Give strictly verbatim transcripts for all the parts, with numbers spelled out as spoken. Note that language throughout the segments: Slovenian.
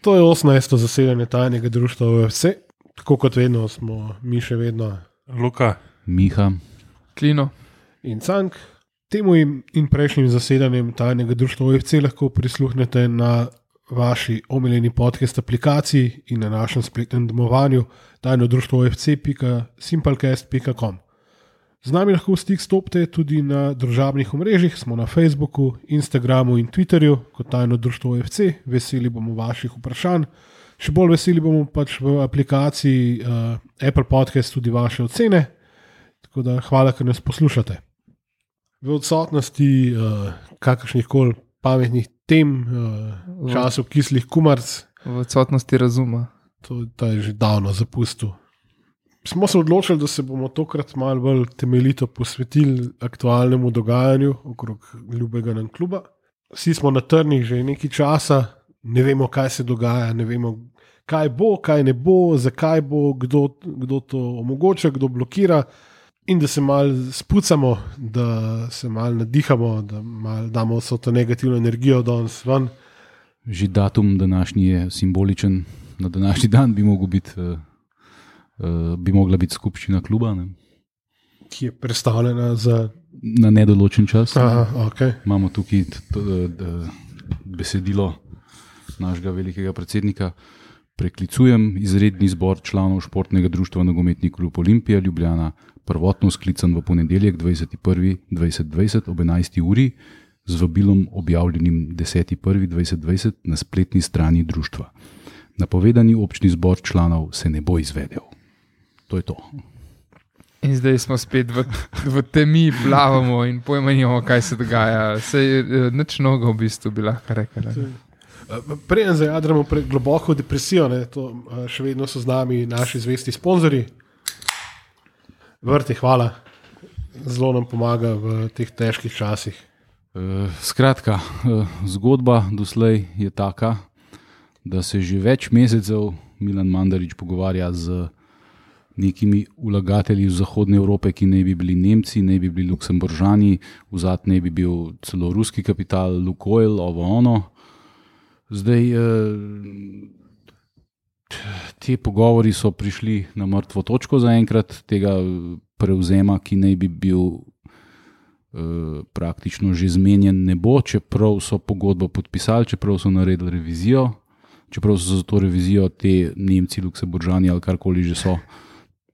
To je osemnajsto zasedanje tajnega društva U F C. Tako kot vedno smo mi še vedno Luka, Miha, Klino in Cank. Temu in, in prejšnjim zasedanjem tajnega društva U F C lahko prisluhnete na vaši omiljeni podcast aplikaciji in na našem spletnem domovanju tajno društvo U F C pika simplecast pika com. Z nami lahko v stik stopite tudi na družabnih omrežjih, smo na Facebooku, Instagramu in Twitterju kot tajno društvo U F C. Veseli bomo vaših vprašanj. Še bolj veseli bomo pač v aplikaciji uh, Apple Podcast tudi vaše ocene. Tako da hvala, ker nas poslušate. V odsotnosti uh, kakršnih koli pametnih tem, uh, času kislih kumarc, v odsotnosti razuma. to, to je že davno zapustil. Smo se odločili, da se bomo tokrat malo bolj temeljito posvetili aktualnemu dogajanju okrog ljubega nam kluba. Vsi smo na trnih že nekaj časa, ne vemo, kaj se dogaja, ne vemo, kaj bo, kaj ne bo, zakaj bo, kdo, kdo to omogoča, kdo blokira. In da se malo spucamo, da se malo nadihamo, da malo damo vso to negativno energijo danes ven. že datum današnji je simboličen. Na današnji dan bi mogel biti, uh, uh, bi mogla biti skupščina kluba, ne? Ki je predstavljena za... Na nedoločen čas. Aha, okay. Imamo tukaj t, t, t, besedilo našega velikega predsednika. Preklicujem izredni zbor članov športnega društva Nogometni klub Olimpija Ljubljana, prvotno sklican v ponedeljek dvajseti prvi dvajset dvajset ob enajsti uri z vabilom objavljenim deseti prvi dvajset dvajset na spletni strani društva. Napovedani občni zbor članov se ne bo izvedel. To je to. In zdaj smo spet v, v temi, plavamo in pojma nimamo, kaj se dogaja. Sej nič nogo v bistvu bi lahko rekli. Preden zajadramo pre globoko depresijo, ne, to, še vedno so z nami naši zvesti sponzorji. Vrti, hvala. Zelo nam pomaga v teh težkih časih. E, skratka, zgodba doslej je taka, da se že več mesecev Milan Mandarić pogovarja z nekimi vlagatelji iz Zahodne Evrope, ki naj bi bili Nemci, naj bi bili Luksemburžani, vzad naj bi bil celo ruski kapital, Lukoil, ovo ono. Zdaj, te pogovori so prišli na mrtvo točko zaenkrat, tega prevzema, ki naj bi bil praktično že zmenjen, ne bo, čeprav so pogodbo podpisali, čeprav so naredili revizijo, čeprav so za to revizijo te Nemci, Luksemburžani ali karkoli že so,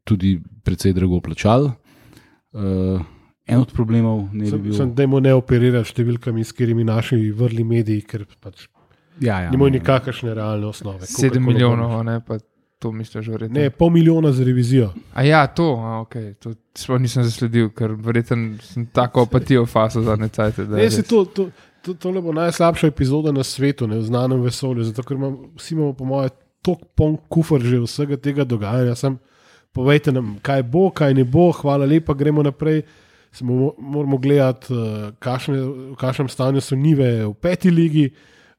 tudi precej drago plačali. En od problemov ne bi bil... Sem, dajmo ne operirati številkami, s katerimi naši vrli mediji, ker pač Ja, ja, nimajo nikakršne realne osnove. Sedem milijonov, ne, pa to misliš verjetno. Ne, pol milijona za revizijo. A ja, to, a, okay. To sploh nisem zasledil, ker verjetno sem tako apatijo faso zadnje cajte. Ne, se to, to, to, tole bo najslabša epizoda na svetu, ne, v znanem vesolju, zato ker imam, vsi imamo po moje tok poln kufr že vsega tega dogajanja. Sam povejte nam, kaj bo, kaj ne bo, hvala lepa, gremo naprej. Samo moramo gledati, kakšne, v kakšnem stanju so Nive v peti ligi.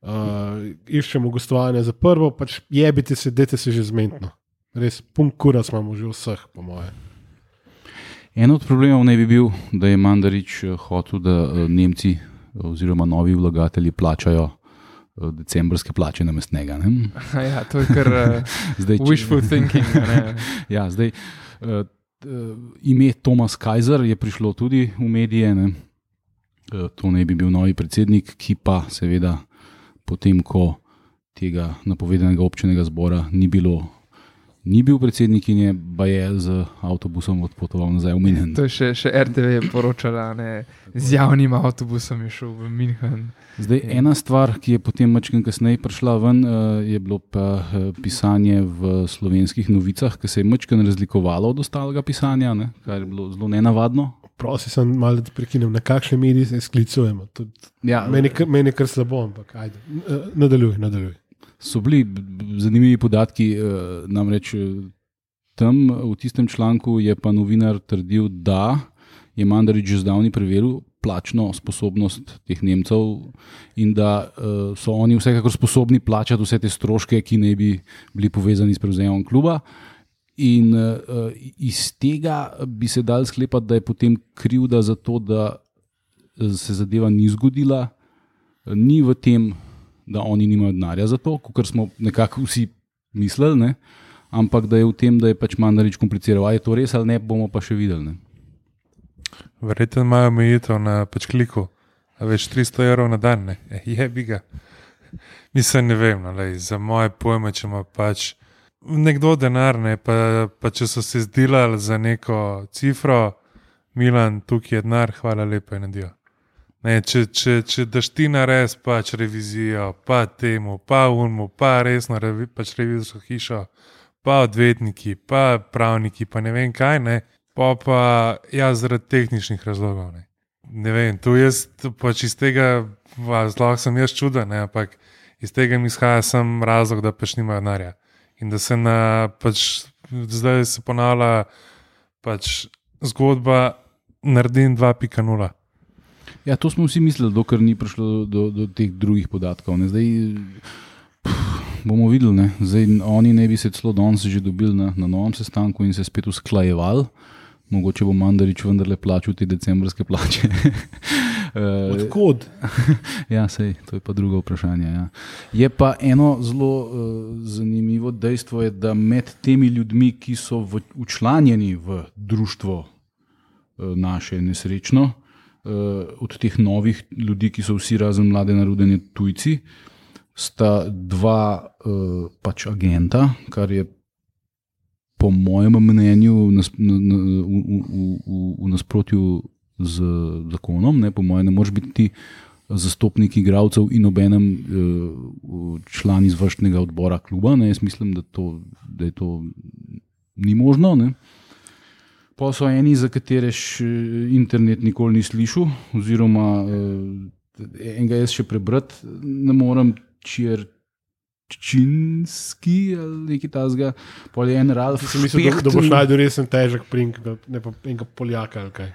Uh, iščemo gostovanje za prvo, pač jebite se, dajte se že zmentno. Res, pun kurac imamo že vseh, po moje. En od problemov naj bi bil, da je Mandarić hotel, da Nemci oziroma novi vlagatelji plačajo decembrske plače namesto njega. Ja, to je kar uh, zdaj, wishful če... thinking. Ne? Ja, zdaj, uh, ime Thomas Kaiser je prišlo tudi v medije. Ne? Uh, to naj bi bil novi predsednik, ki pa seveda potem, ko tega napovedanega občnega zbora ni bilo, ni bil predsednik in je baje z avtobusom odpotoval nazaj v München. To je še, še R T V je poročala, ne, z javnim avtobusom je šel v München. Zdaj, ena stvar, ki je potem mačken kasneje prišla ven, je bilo pa pisanje v Slovenskih novicah, ki se je mačken razlikovalo od ostalega pisanja, ne, kar je bilo zelo nenavadno. Prosim, sem malo da prekinem, na kakšne medije se sklicujemo. Ja, meni, meni je kar slabo, ampak ajde, nadaljuj, nadaljuj. So bili zanimivi podatki, namreč tam v tistem članku je pa novinar trdil, da je Mandarić že zdavni preveril plačno sposobnost teh Nemcev in da so oni vsekakor sposobni plačati vse te stroške, ki naj bi bili povezani s prevzemom kluba. In uh, iz tega bi se dal sklepati, da je potem krivda za to, da se zadeva ni zgodila, ni v tem, da oni nimajo denarja za to, kot smo nekako vsi mislili, ne? Ampak da je v tem, da je pač Mandarić kompliciral. A je to res ali ne, bomo pa še videli. Ne? Verjetno imajo omejitev na pač kliku, a več tristo evrov na dan, ne, je bi ga. Mislim, ne vem, no, lej, za moje pojme, če ima pač nekdo denar, ne, pa, pa če so se zdelali za neko cifro, Milan, tukaj je denar, hvala lepa in adijo. Ne, če, če, če daš ti nares pač revizijo, pa temu, pa unmu, pa resno revi, pač revizorsko hišo, pa odvetniki, pa pravniki, pa ne vem kaj, ne, pa pa jaz zaradi tehničnih razlogov, ne. Ne vem, tu jaz pač iz tega, zelo sem jaz čuden, ne, ampak iz tega mi izhaja sam razlog, da pač nimajo denarja. In da se na, pač, zdaj se ponavlja pač zgodba naredim dva pika nula. Ja, to smo vsi mislili, dokler ni prišlo do, do teh drugih podatkov. Ne. Zdaj pff, bomo videli, ne. Zdaj oni ne bi se celo danes že dobili na, na novem sestanku in se spet usklajevali. Mogoče bo Mandarić vendarle plačal te decembrske plače. Odkud? Ja, sej, to je pa drugo vprašanje. Ja. Je pa eno zelo uh, zanimivo dejstvo, je, da med temi ljudmi, ki so v, učlanjeni v društvo uh, naše nesrečno, uh, od teh novih ljudi, ki so vsi razen mlade narodene tujci, sta dva uh, pač agenta, kar je po mojem mnenju v, v, v, v, v nasprotju z zakonom. Ne? Po mojem ne moreš biti zastopnik igralcev in obenem uh, član izvršnega odbora kluba. Ne? Jaz mislim, da, to, da je to ni možno. Ne? Pa so eni, za katere še internet nikoli ni slišal, oziroma uh, enega jaz še prebrati ne morem, čir Činski ali nekaj tazga, pol je en Ralf Špecht. Da, da boš najdel resen težek prink, ne pa enega Poljaka ali kaj.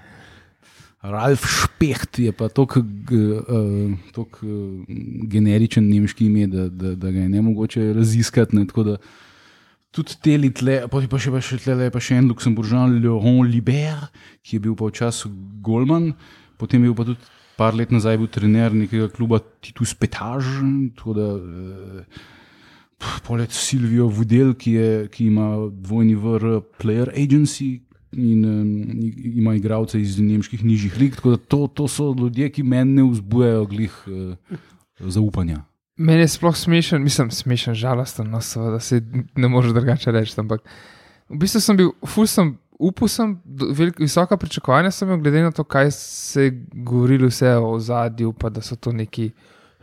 Ralf Špecht je pa toliko uh, generičen nemški ime, da, da, da ga je nemogoče raziskati. Ne, tako da tudi teli tle, pa pa še, pa še tle je pa še en Luksemburžan, Laurent Libert, ki je bil pa včasih golman, potem je bil pa tudi par let nazaj bil trener nekega kluba Titus Petage, tako da uh, poleg Silvio Vodel, ki, je, ki ima dvojni vr Player Agency in um, ima igralce iz nemških nižjih lig, tako da to, to so ljudje, ki meni ne vzbujajo glih uh, zaupanja. Meni je sploh smešen, mislim, smešen, žalosten, no, seveda se ne može drugače reči, ampak v bistvu sem bil, ful sem, upal sem, velik, visoka pričakovanja sem imel, glede na to, kaj se je govorilo vse o ozadju, pa da so to neki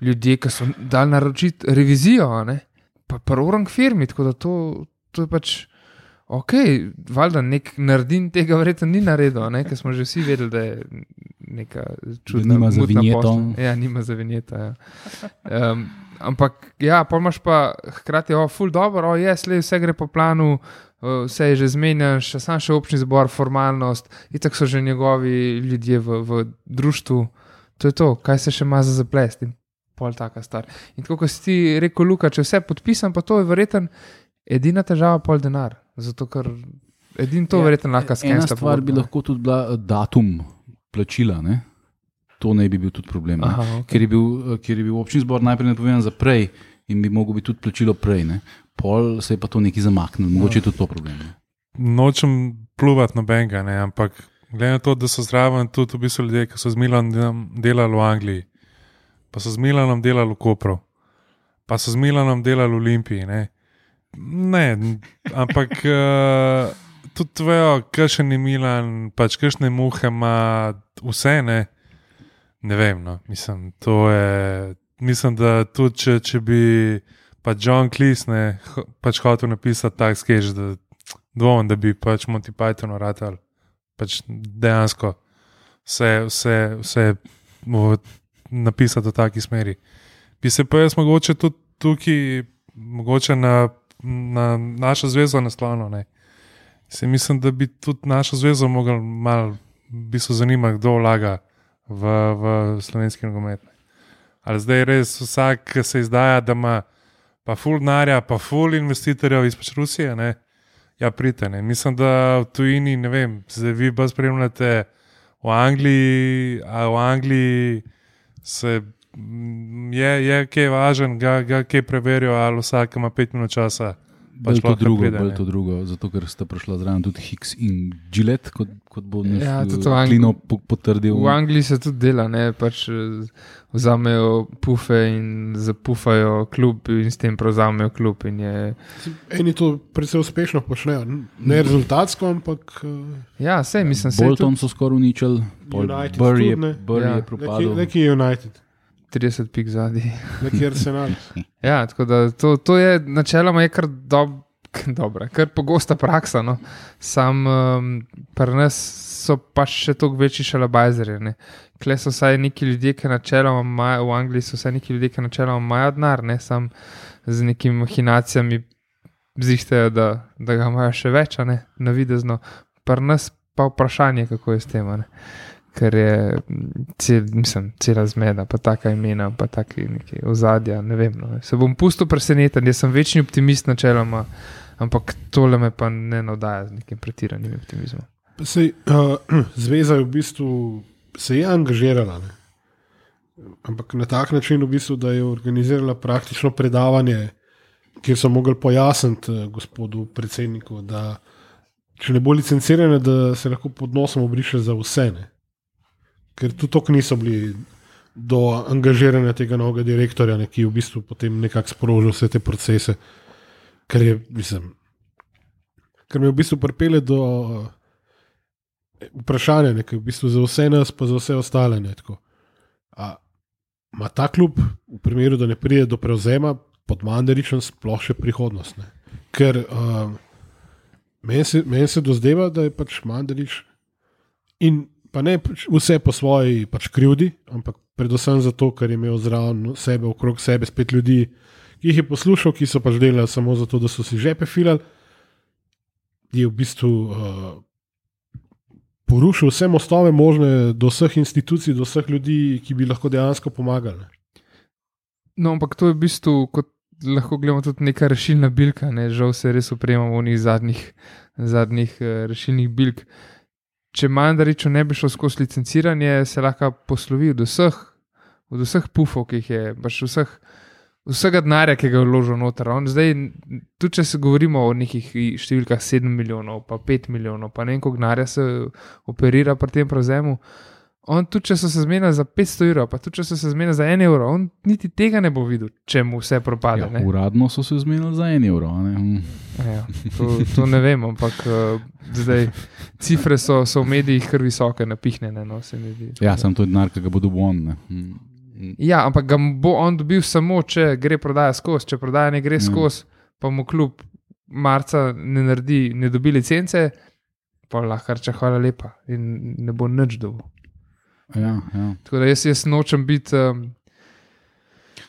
ljudje, ki so dali naročiti revizijo, ne? Pa prvorang firmi, tako da to, to je pač ok, valjda nek naredin tega verjetno ni naredil, ne? Ker smo že vsi vedeli, da je neka čudna nima za vinjeto. Ja, nima za vinjeto, ja. Um, ampak ja, pa imaš pa hkrati, o, ful dobro, o, je, slej, vse gre po planu, vse je že zmenjen, še sam še občni zbor, formalnost, itak so že njegovi ljudje v, v društvu, to je to, kaj se še ima za zaplest in pol taka star. In tako, ko si ti rekel, Luka, če vse podpisam, pa to je verjetno edina težava pol denar, zato ker edin to ja, verjetno lahko skensta. Ena stvar bi lahko tudi bila datum plačila, ne? To ne bi bil tudi problem, Aha, okay. ker, je bil, ker je bil občni zbor najprej napovedan za prej in bi mogel biti tudi plačilo prej, ne? Pol se je pa to nekaj zamaknilo, mogoče je tudi to problem. Ne? Nočem pluvati nobenega, ne, ampak glede na to, da so zraven tudi v bistvu ljudje, ki so z Milanom delali v Angliji, pa so z Milanom delali v Kopru, pa so z Milanom delali v Olimpiji, ne. Ne, ampak uh, tudi tvojo, kakšen je Milan, pač kakšne muhe ima vse, ne, ne vem, no, mislim, to je, mislim, da tudi, če, če bi pa John Cleese, ne, pač hotel napisati tak sketch, da dvomim, da bi pač Monty Python vratal, pač dejansko vse, vse, vse napisati v taki smeri. Bi se pa jaz mogoče tudi tukaj, mogoče na na našo zvezo naslonil, ne. Se mislim, da bi tudi našo zvezo mogli malo bi se zanimati, kdo vlaga v, v slovenski nogomet. Ali zdaj res vsak, ki se izdaja, da ima pa ful denarja, pa ful investitorjev iz Rusije, ne, ja, prite, ne. Mislim, da v tujini, ne vem, zdaj vi pa spremljate v Angliji, a v Angliji se je, je kaj važen, ga, ga kaj preverijo, ali vsak ima pet minut časa. Bolj to, drugo, bolj to drugo, zato ker sta prišla zraven tudi Hicks in Gillette, kot, kot bo naš Ja, tudi v Klino Angli- potrdil. V Angliji se tudi dela, ne, pač eh, vzamejo pufe in zapufajo klub in s tem prevzamejo klub in je, Eni to predvsej uspešno počnejo, ne rezultatsko, ampak uh, ja, sej mislim, sej Bolton tudi so skoraj uničili, pol United Bury je, tudi, ne. Bury Ja. je neki, propadel. neki United, trideset pik zadnji. neki Arsenal. Ja, tako da to, to je načeloma je kar dob, dobra, kar pogosta praksa. No. Sam um, pri nas so pa še toliko večji šalabajzerji. Kle so vsaj neki ljudje, ki načeloma imajo, v Angliji so vsaj neki ljudje, ki načeloma imajo denar, ne sam z nekimi mahinacijami zihtajajo, da, da ga imajo še več, a ne, navidezno. Pri nas pa vprašanje, kako je s tem. A ne. Ker je cel, mislim, cela zmeda, pa taka imena, pa taki neki ozadja, ne vem. No. Se bom pustil preseneten, jaz sem večni optimist načeloma, ampak tole me pa ne navdaja z nekim pretiranim optimizmom. Sej, uh, zveza je v bistvu se je angažirala, ne? Ampak na tak način, v bistvu, da je organizirala praktično predavanje, kjer so mogli pojasniti uh, gospodu predsedniku, da če ne bo licencirane, da se lahko pod nosom obriše za vse. Ne? Ker tudi to niso bili do angažiranja tega novega direktorja, ne, ki je v bistvu potem nekako sprožil vse te procese, kar je, mislim, kar me v bistvu pripelje do uh, vprašanja, ne, ker v bistvu za vse nas, pa za vse ostale. Ne, tako. A ima ta klub v primeru, da ne pride do prevzema pod Mandaričem sploh še prihodnost? Ne? Ker uh, meni se, men se dozdeva, da je pač Mandarič in pa ne vse po svoji pač krivdi, ampak predvsem zato, ker je imel zraven sebe, okrog sebe spet ljudi, ki jih je poslušal, ki so pač delali samo zato, da so si žepe filali, je v bistvu uh, porušil vse mostove možne do vseh institucij, do vseh ljudi, ki bi lahko dejansko pomagali. No, ampak to je v bistvu, kot lahko gledamo, tudi neka rešilna bilka, ne? Žal se res upremamo v njih zadnjih, zadnjih uh, rešilnih bilk. Če Mandariču ne bi šlo skozi licenciranje, se lahko poslovi od vseh, od vseh pufov, ki jih je, pač vseh, vsega denarja, ki ga je vložil noter. On zdaj, tudi če se govorimo o nekih številkah sedem milijonov, pa pet milijonov, pa ne vem, koliko denarja se operira pri tem prevzemu, on tudi, če so se zmenili za petsto evrov, pa tudi, če so se zmenili za en evro, on niti tega ne bo videl, če mu vse propade. Ja, ne. uradno so se zmenili za en evro. a Ne? Ja, to, to ne vem, ampak uh, zdaj cifre so, so v medijih kar visoke, napihnjene. No, se mi zdi. Ja, sam to je denar, ki ga bo dobil on. Ne? Mm. Ja, ampak ga bo on dobil samo, če gre prodaja skozi. Če prodaja ne gre skozi, pa mu klub marca ne naredi, ne dobi licence, pa lahko reče hvala lepa in ne bo nič dobil. Ja, ja. Tako da jaz, jaz nočem biti um,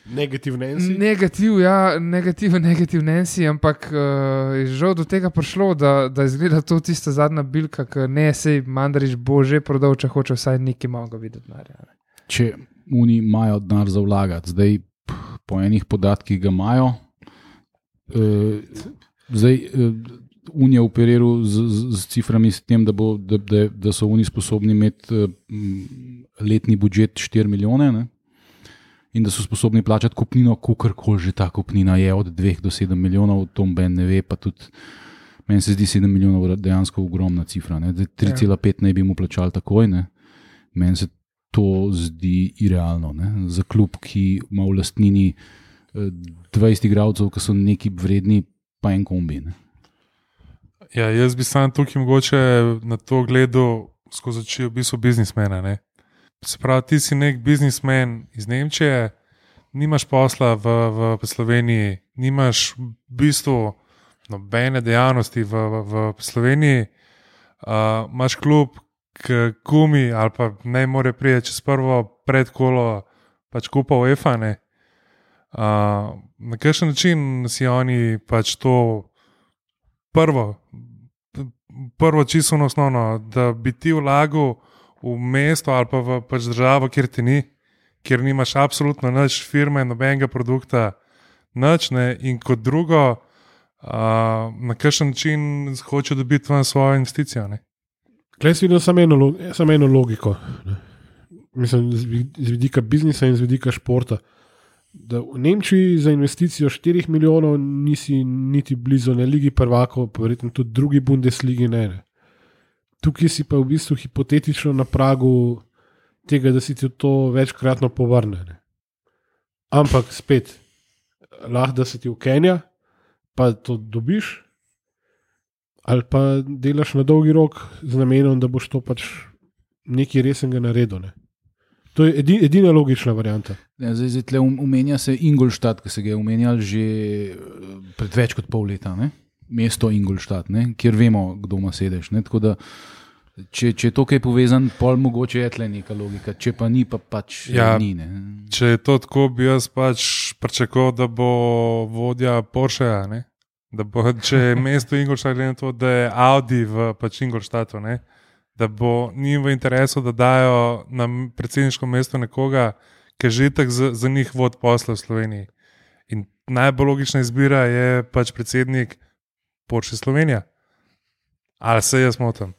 Negativnenci. negativ, ja, negativ, negativ Nancy, ampak uh, je žal do tega prišlo, da, da izgleda to tista zadnja bilka, ki ne, sej Mandarič bo že prodal, če hoče vsaj nekaj malega videti. Narja, ne. Če oni imajo denar za vlagati, zdaj po enih podatkih ga imajo, uh, zdaj uh, on je operiral z, z, z ciframi s tem, da, bo, da, da, da so oni sposobni imeti uh, letni budžet štiri milijone, ne? In da so sposobni plačati kupnino, kakorkoli že ta kupnina je, od dveh do sedem milijonov, to Ben ne ve, pa tudi meni se zdi sedem milijonov dejansko ogromna cifra. tri cela pet naj bi mu plačali takoj, ne? Meni se to zdi irealno. Ne? Za klub, ki ima v lastnini dvajset igralcev, ki so neki vredni, pa en kombi. Ne? Ja, jaz bi sam tukaj mogoče na to gledal skozi oči v bistvu biznismena. Ne? Se pravi, ti si nek biznismen iz Nemčije, nimaš posla v, v Sloveniji, nimaš v bistvu nobene dejavnosti v, v, v Sloveniji, uh, imaš klub, ki gumi ali pa ne more priti čez prvo predkolo, pač kupa UEFA. Ne? Uh, na kakšen način si oni pač to prvo, prvo čisto osnovno, da bi ti vlagal v mesto ali pa v pač državo, kjer ti ni, kjer nimaš absolutno nič firme, nobenega produkta, nič, ne, in kot drugo, uh, na kakšen način hoče dobiti ven svojo investicijo. Ne. Klej si vidim samo eno, samo eno logiko. Ne. mislim, z vidika biznisa in z vidika športa. Da v Nemčiji za investicijo štirih milijonov nisi niti blizu ne Ligi prvakov, pa verjetno tudi drugi Bundesligi ne, ne. Tukaj si pa v bistvu hipotetično na pragu tega, da si ti to večkratno povrne. Ne. Ampak spet, lahko da se ti ukenja, pa to dobiš, ali pa delaš na dolgi rok z namenom, da boš to pač nekaj resnega naredil. Ne. To je edi, edina logična varianta. Ja, zdaj, zdaj tle umenja se Ingolstadt, ki se ga je omenjal že pred več kot pol leta. Ne? Mesto Ingolstadt, ne? Kjer vemo, kdo ima sedež. Ne? Tako da, če, če je to kaj povezan, pol mogoče je tle neka logika, če pa ni, pa pač ja, ni. Ne? Če je to tako, bi jaz pač pričakoval, da bo vodja Porscheja, ne? Da bo, če je mesto Ingolstadt, glede na to, da je Audi v pač Ingolstadtu, ne? Da bo njim v interesu, da dajo na predsedniško mesto nekoga, ki že tak za, za njih vod posla v Sloveniji. In najbolj logična izbira je pač predsednik Porsche Slovenija. Ali se jaz motim?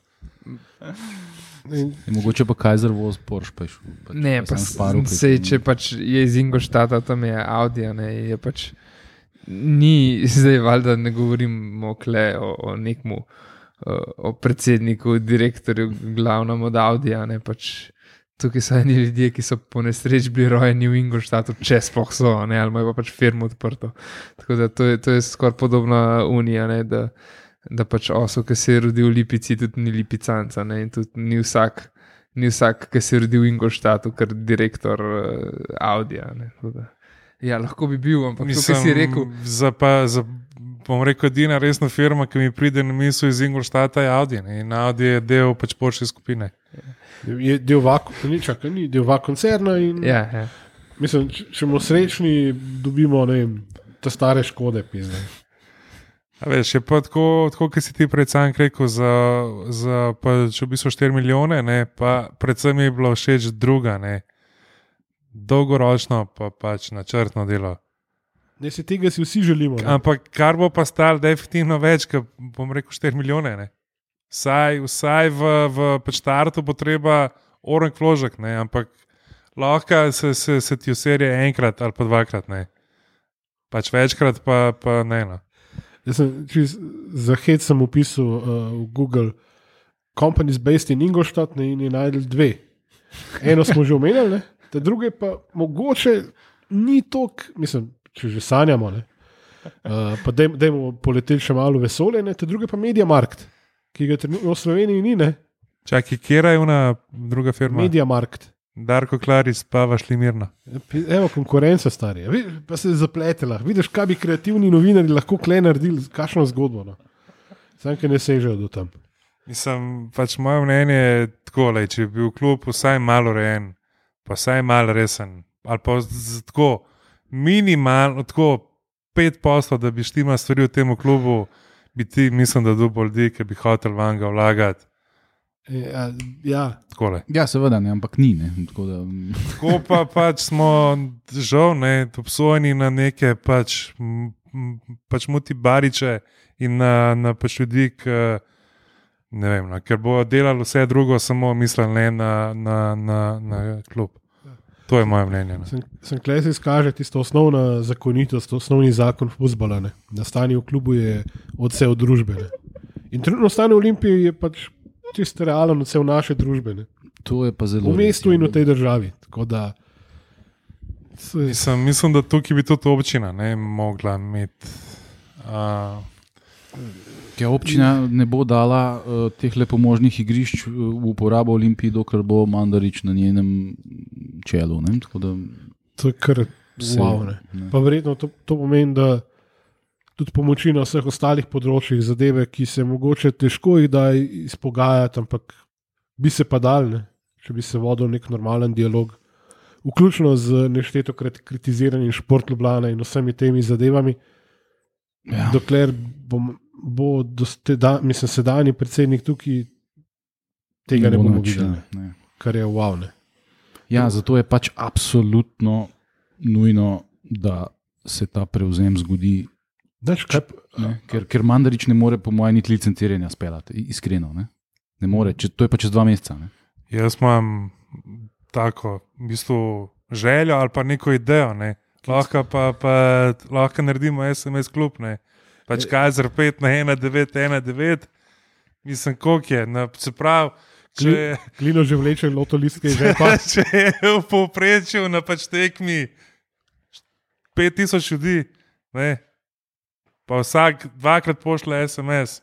Mogoče pa Kaiser voz Porsche. Pa š, pač, ne, pa sej, če pač je iz Ingolstadta, tam je Audi, ne, je pač ni, zdaj valjda ne govorimo kle o, o nekmu o predsedniku, direktorju, glavnem od Audija, ne, pač tukaj so eni ljudje, ki so po nesreči bili rojeni v Ingolstadtu, če sploh so, ne, ali imajo pa pač firmo odprto. Tako da to je, to je skoraj podobna unija, ne, da, da pač osel, ki se je rodil v Lipici, tudi ni Lipicanca, ne, in tudi ni vsak, ni vsak, ki se je rodil v Ingolstadtu, ker direktor uh, Audija, ne, tako da. Ja, lahko bi bil, ampak to, kar si rekel. Za pa, za bom rekel, edina resna firma, ki mi pride na misel iz Ingolstadta, je Audi. Ne? In Audi je del pač Porsche skupine. Je del vako, ni čakaj, ni del vako koncerna. In, ja, ja. Mislim, če, če bomo srečni, dobimo, ne vem, te stare škode. Pizne. A veš, je pa tako, tako kot si ti pred sam rekel, za, za pač v bistvu štiri milijone, ne? Pa predvsem je bilo všeč druga, ne? Dolgoročno pa pač načrtno delo. Ne, se tega si vsi želimo. Ne? Ampak kar bo pa stalo definitivno več, kot bom rekel štiri milijone. Ne? Vsaj, vsaj v, v pač startu bo treba oranj vložek, ne? Ampak lahko se, se, se ti userje enkrat ali pa dvakrat. Ne? Pač večkrat pa, pa ne. No. Jaz sem čiz, za hec sem upisal uh, v Google Companies based in Ingolstadt, ne, in je najdel dve. Eno smo že omenjali, ne? Te druge pa mogoče ni tok, mislim, če že sanjamo, ne, uh, pa dajmo poleteti še malo vesolje, ne, te druge pa Mediamarkt, ki ga trenutno v Sloveniji ni, ne. Čakaj, kjera je ona druga firma? Mediamarkt. Darko Klaris, pa vašli mirno. Evo, konkurenca starija, pa se je zapletela. Vidiš, kaj bi kreativni novinari lahko kle naredili, kakšno zgodbo, no. Sam, ki ne sežejo do tam. Mislim, pač moje mnenje je tako, le, če bi bil klub vsaj malo rejen, pa vsaj malo resen, ali pa z, tako minimalno, tako pet poslov, da bi štima stvari v tem klubu, bi ti, mislim, da dobil ljudi, ki bi hotel van ga vlagati. Ja, ja. Takole. Ja, seveda ne, ampak ni. Ne. Tako, da... tako pa pač smo žal ne, obsojeni na neke pač, m, pač muti bariče in na, na pač ljudi, ki ne vem, no, ker bo delali vse drugo, samo mislili ne na, na, na, na klub. To je moje mnenje. Sem, sem klej se izkaže tisto osnovna zakonitost, osnovni zakon fuzbala, ne. Da stanje v klubu je odsev družbe. Ne. In trenutno stanje v Olimpiji je pač čisto realen odsev naše družbe. Ne. To je pa zelo. V mestu in v tej državi. Tako da se... mislim, mislim, da tukaj bi tudi občina ne mogla imeti. Uh... Ja, občina ne bo dala uh, teh lepomožnih igrišč v uporabo Olimpiji, dokler bo Mandarič na njenem čelu. Ne? Da... To je kar wow, ne. Ne. Pa verjetno to, to pomeni, da tudi pomoči na vseh ostalih področjih zadeve, ki se mogoče težko jih da izpogajati, ampak bi se pa dal, ne? Če bi se vodil nek normalen dialog, vključno z nešteto kritiziranjem Šport Ljubljana in vsemi temi zadevami, ja. Dokler bom bo da, mislim, sedanji predsednik tukaj tega ne, ne bomo videli, kar je wow. Ne. Ja, zato je pač absolutno nujno, da se ta prevzem zgodi. Dač, kaj, ne, ker, ker Mandarič ne more po mojem niti licenciranja speljati, iskreno. Ne, ne more, če, to je pa čez dva meseca. Ne. Jaz imam tako v bistvu željo ali pa neko idejo. Ne. Lahko pa, pa lahko naredimo es em es klub. Ne. Pač Kaiser pet na ena devet ena devet, mislim, koliko je. Na, se pravi, če, Klino že vleče loto listke že pa. če je v povprečju na pač tekmi pet tisoč ljudi, ne, pa vsak dvakrat pošle es em es,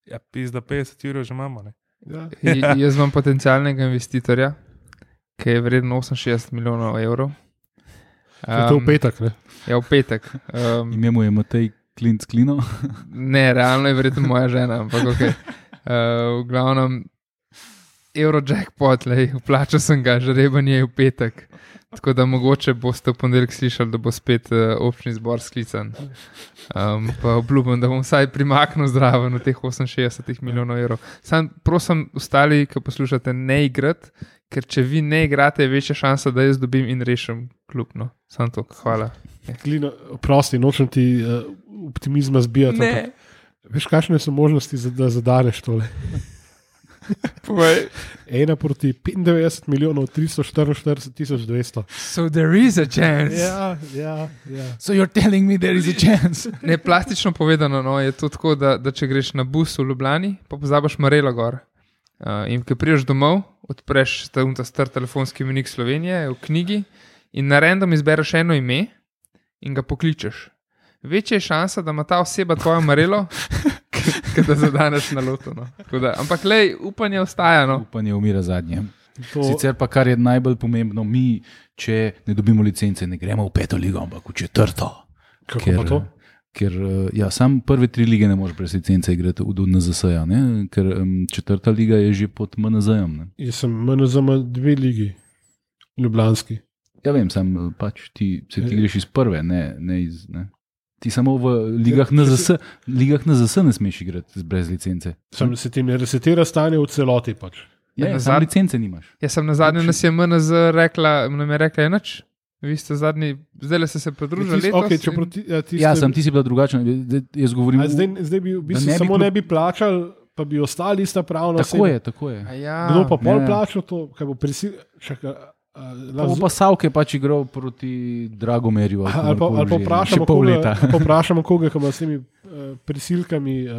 ja, pizda petdeset jurjev že imamo. Ne. Ja. J- Jaz imam potencialnega investitorja, ki je vreden oseminšestdeset milijonov evrov. To je v petek, ne? Ja, v petek. Um, Ime mu je Matej Klinc Klino. ne, realno je verjetno moja žena, ampak ok. Uh, v glavnem, Eurojackpot, lej, vplačal sem ga, žrebanje je v petek. Tako da mogoče boste v ponedeljek slišali, da bo spet uh, občni zbor sklican. Um, pa obljubim, da bom vsaj primaknil zraven od teh oseminšestdeset milijonov evrov. Sam prosim, ostali, ki poslušate, ne igrati, ker če vi ne igrate, je večja šansa, da jaz dobim in rešim klub. No. Sam to, hvala. Klino, prosti, nočem ti uh, optimizma zbijati. Ne. ampak Veš, kakšne so možnosti, za, da zadaneš tole? Povej. Ena proti petindevetdeset milijonov tristo štiriinštirideset tisoč dvesto. So there is a chance. Ja, ja, ja. So you're telling me there is a chance? Ne, plastično povedano, no, je to tako, da, da če greš na bus v Ljubljani, pa pozabiš Marelo gor. Uh, in ko prideš domov, odpreš ta, ta star telefonski menik Slovenije v knjigi in na random izbereš eno ime in ga pokličeš. Večja je šansa, da ima ta oseba tvojo Marelo, kot da zadaneš na lotu. No. Da, ampak lej, upanje ostaja. No. Upanje umira zadnje. To, Sicer pa, kar je najbolj pomembno, mi, če ne dobimo licence, ne gremo v peto ligo, ampak v četrto. kako Ker, pa to? ker ja, sam prve tri lige ne moreš brez licence igrati v en zet es-ja, ne? Ker um, četrta liga je že pod em en zet-jem. Ne? Jaz sem M N Z ima dve ligi, ljubljanski. Ja vem, sam pač ti, se ti greš iz prve, ne, ne iz... Ne? Ti samo v ligah na zet es, ligah na zet es ne smeš igrati brez licence. Sam se ti ne resetira stanje v celoti pač. Ja, Ja, ja, sam nazad- licence nimaš. Jaz sem na zadnje nas je M N Z rekla, nam je rekla enač. Vi ste zadnji, zdaj ste se pridružili Ti, letos. okay, če in- proti, ja, ti Ja, ste- sam ti si bila drugačna. Zdaj- Jaz govorim... A v- zdaj, zdaj bi v da bistvu ne bi samo klub- ne bi plačali, pa bi ostali ista pravna Tako je, tako je. A ja, Kdo pa pol ne. plačal to, kaj bo prisil... Čaka, a, Pa bo pa Savke pač igral proti Dragomerju. ali, pa, ali pa kogarkoli že, vprašamo še pol koga, leta. ali pa vprašamo koga, ki ima s temi uh, prisilkami uh,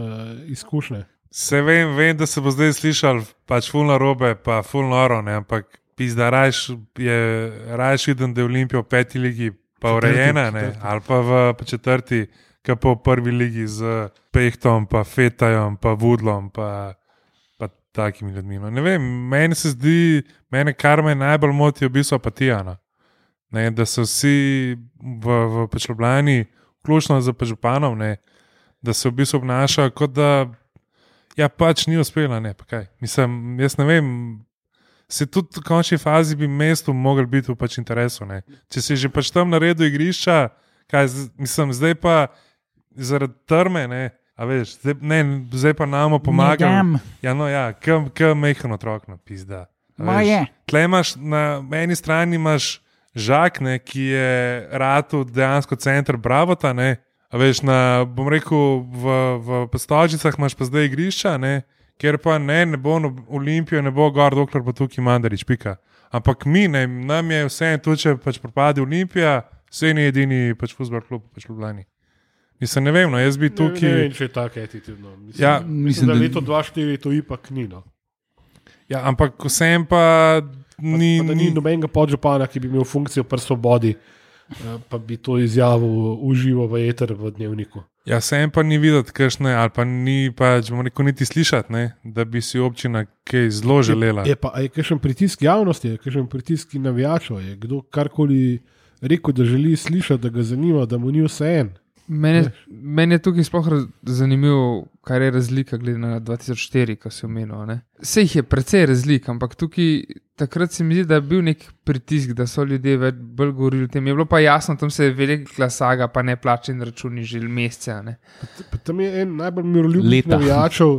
izkušnje. Se vem, vem, da se bo zdaj slišal pač fulno robe, pa fulno oro, ne, ampak pizda rajš je, rajš vidim, da je Olimpija v peti ligi pa Četrti, urejena, ne, četrti. ali pa v pa četrti, ki pa v prvi ligi z Pehtom, pa Fetajom, pa Vudlom, pa, pa takimi ljudmi. No, ne vem, meni se zdi, mene kar me najbolj moti, je v bistvu apatija. No. Ne, da so vsi v, v pač Ljubljani, vključno z županom, ne, da se v bistvu obnašajo, kot da ja, pač ni uspela, ne, pa kaj. Mislim, jaz ne vem, se tudi v končni fazi bi mestu mogli biti v pač interesu, ne. Če si že pač tam naredil igrišča, kaj, z- mislim, zdaj pa zaradi trme, ne, a veš, zdaj, ne, zdaj pa nam pomagam. Ja, no ja, kam, kam mehen otrok, no, pizda. A veš, Moje. Tle imaš, na eni strani imaš Žak, ne, ki je ratu dejansko center Bravota, ne, a veš, na, bom rekel, v, v Postočnicah imaš pa zdaj igrišča, ne, kjer pa ne, ne bo no, Olimpijo, ne bo gor, dokler bo tukaj Mandarič, pika. Ampak mi, ne, nam je vse en tu, če pač propade Olimpija, vse ni edini pač futbol klub pač v Ljubljani. Mislim, ne vem, no, jaz bi Ne, tukaj... ne vem, če je tako attitudno. Mislim, Ja, mislim, mislim, da da- leto dva štiri to ipak ni. No. Ja, ampak vsem pa ni... Pa, pa da ni nobenega podžupana, ki bi imel funkcijo pri svobodi, eh, pa bi to izjavil uživo v eter v dnevniku. Ja, vsem pa ni videti, kakšne, ali pa ni, pač, bomo rekel, niti slišati, ne, da bi si občina kaj zelo želela. Je pa, a je kakšen pritisk javnosti, je kakšen pritisk navijačev, je kdo karkoli rekel, da želi slišati, da ga zanima, da mu ni vse en. Meni je, meni je tukaj sploh raz- zanimivo, kaj je razlika glede na dva tisoč štiri, ko si omenil. ne. Sej jih je precej razlik, ampak tukaj takrat se mi zdi, da je bil nek pritisk, da so ljudje več bolj govorili o tem. Je bilo pa jasno, tam se je velika saga, pa ne plačeni računi že mesece. ne. Pa tam je en najbolj miroljubnih Leta. navijačev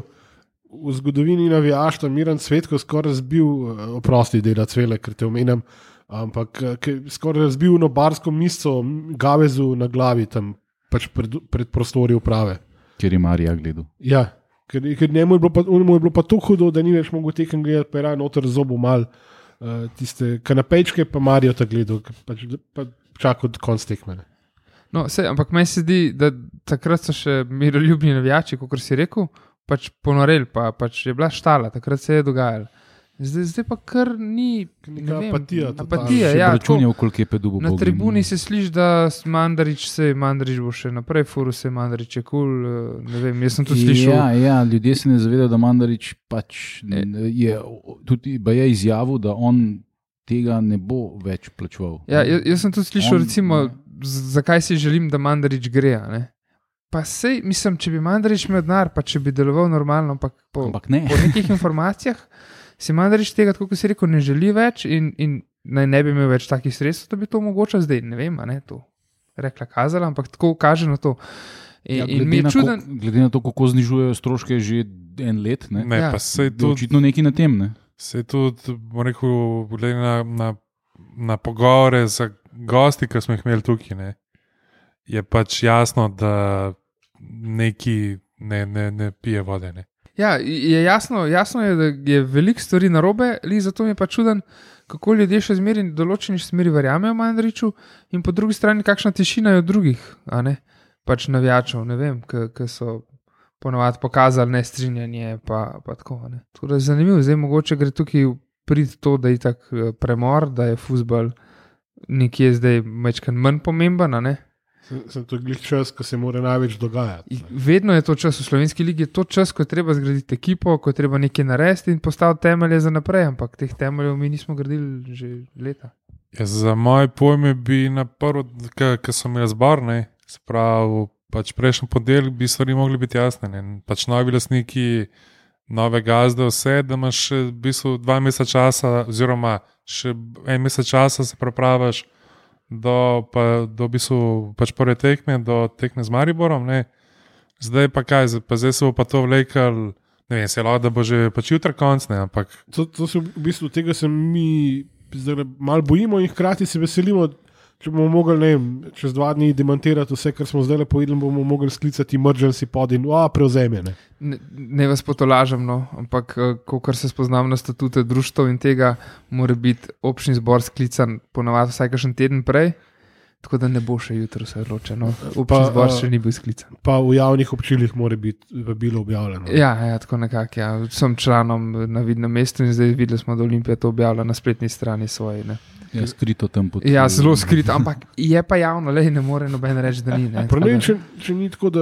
v zgodovini navijaštva, Miran Cvetko, skoraj razbil, eh, oprosti, dela cvele, ker te omenjam, ampak eh, ki je skoraj razbil eno barsko misco Gavezu na glavi tam pač pred, pred prostori uprave. Ker je Marija gledal. Ja, ker, ker njemu je bilo pa, njemu je bilo pa tako hudo, da ni več mogel tekem gledati, pa je raje noter zobu mal uh, tiste kanapejčke, pa Marijo ta gledal, pač, pa čakal od konc tekme. No, sej, ampak meni se zdi, da takrat so še miroljubni navijači, kot si rekel, pač ponoreli, pa pač je bila štala, takrat se je dogajalo. Zdaj, zdaj pa kar ni Neka apatija. apatija ja, računal, koliko je pedu bo na Bogdan. tribuni se sliši, da Mandarič se Mandarič bo še naprej, furu se Mandarič je kul, cool, ne vem, jaz sem to slišal. Ja, ja, ljudje se ne zavedajo, da Mandarič pač je tudi je izjavil, da on tega ne bo več plačeval. Ja, jaz, jaz sem tudi slišal, on, recimo, ne. zakaj si želim, da Mandarič gre, ne? Pa sej, mislim, če bi Mandarič imel denar, pa če bi deloval normalno, ampak po, Ampak ne. po nekih informacijah si Mandarič tega, tako kot si rekel, ne želi več in, in naj ne bi imel več takih sredstev, da bi to omogočal zdaj, ne vem, a ne to rekla kazala, ampak tako kaže na to. In, Ja, in glede, mi je na čuden, ko, glede na to, kako znižujejo stroške že en let, ne, Ne, Ja. pa se je tudi, očitno nekaj na tem. Ne. se tudi, bom rekel, glede na, na, na pogovore z gosti, ki smo jih imeli tukaj, ne, je pač jasno, da neki ne, ne, ne pije vode. Ne. ja, je jasno, jasno je, da je veliko stvari narobe, li zato mi je pa čuden, kako ljudje še zmeri v določeni smeri verjamejo Mandariču in po drugi strani kakšna tišina je od drugih, a ne, pač navijačev, ne vem, ki so ponovadi pokazali nestrinjanje, pa, pa tako, ne. Tako da je zanimivo, zdaj mogoče gre tukaj priti to, da je tak premor, da je fuzbal nekje zdaj mečkan manj pomemben, a ne. Sem, sem to glih čas, ko se mora največ dogajati. Vedno je to čas v slovenski ligi, je to čas, ko je treba zgraditi ekipo, ko je treba nekaj narediti in postaviti temelje za naprej, ampak teh temeljev mi nismo gradili že leta. Ja, za moje pojme bi na prvo, ki so imeli zbor, ne, se pravi, pač prejšnji ponedeljek bi stvari mogli biti jasne. Ne. Pač novi lastniki, nove gazde, vse, da imaš še v bistvu dva meseca časa, oziroma še en mesec časa se prepravaš do, pa, do v bistvu pač prve tekme, do tekme z Mariborom. Ne. Zdaj pa kaj, pa zdaj se bo pa to vlekel, ne vem, se je lahko, da bo že pač jutra konc, ne, ampak To, to se v bistvu tega se mi zdaj malo bojimo in hkrati se veselimo, če bomo mogli, ne vem, čez dva dni demantirati vse, kar smo zdaj povedali, bomo mogli sklicati emergency pod in a, prevzemene. Ne, ne vas potolažem, no, ampak ko se spoznam na statute društv in tega, mora biti občni zbor sklican ponavadi vsaj kakšen teden prej, tako da ne bo še jutro se odločeno. Občni Pa, zbor a- še ni bil sklican. Pa v javnih občilih mora biti bilo objavljeno. Ja, ja, tako nekako. Ja. Sem članom na vidnem mestu in zdaj videli smo, da Olimpija to objavlja na spletni strani svoje. Ne. Ja, skrito tam pod. Ja, zelo skrito, ampak je pa javno, le ne more noben reči, da ni. Ne. Prav Tako ne vem, da- če, če ni tako, da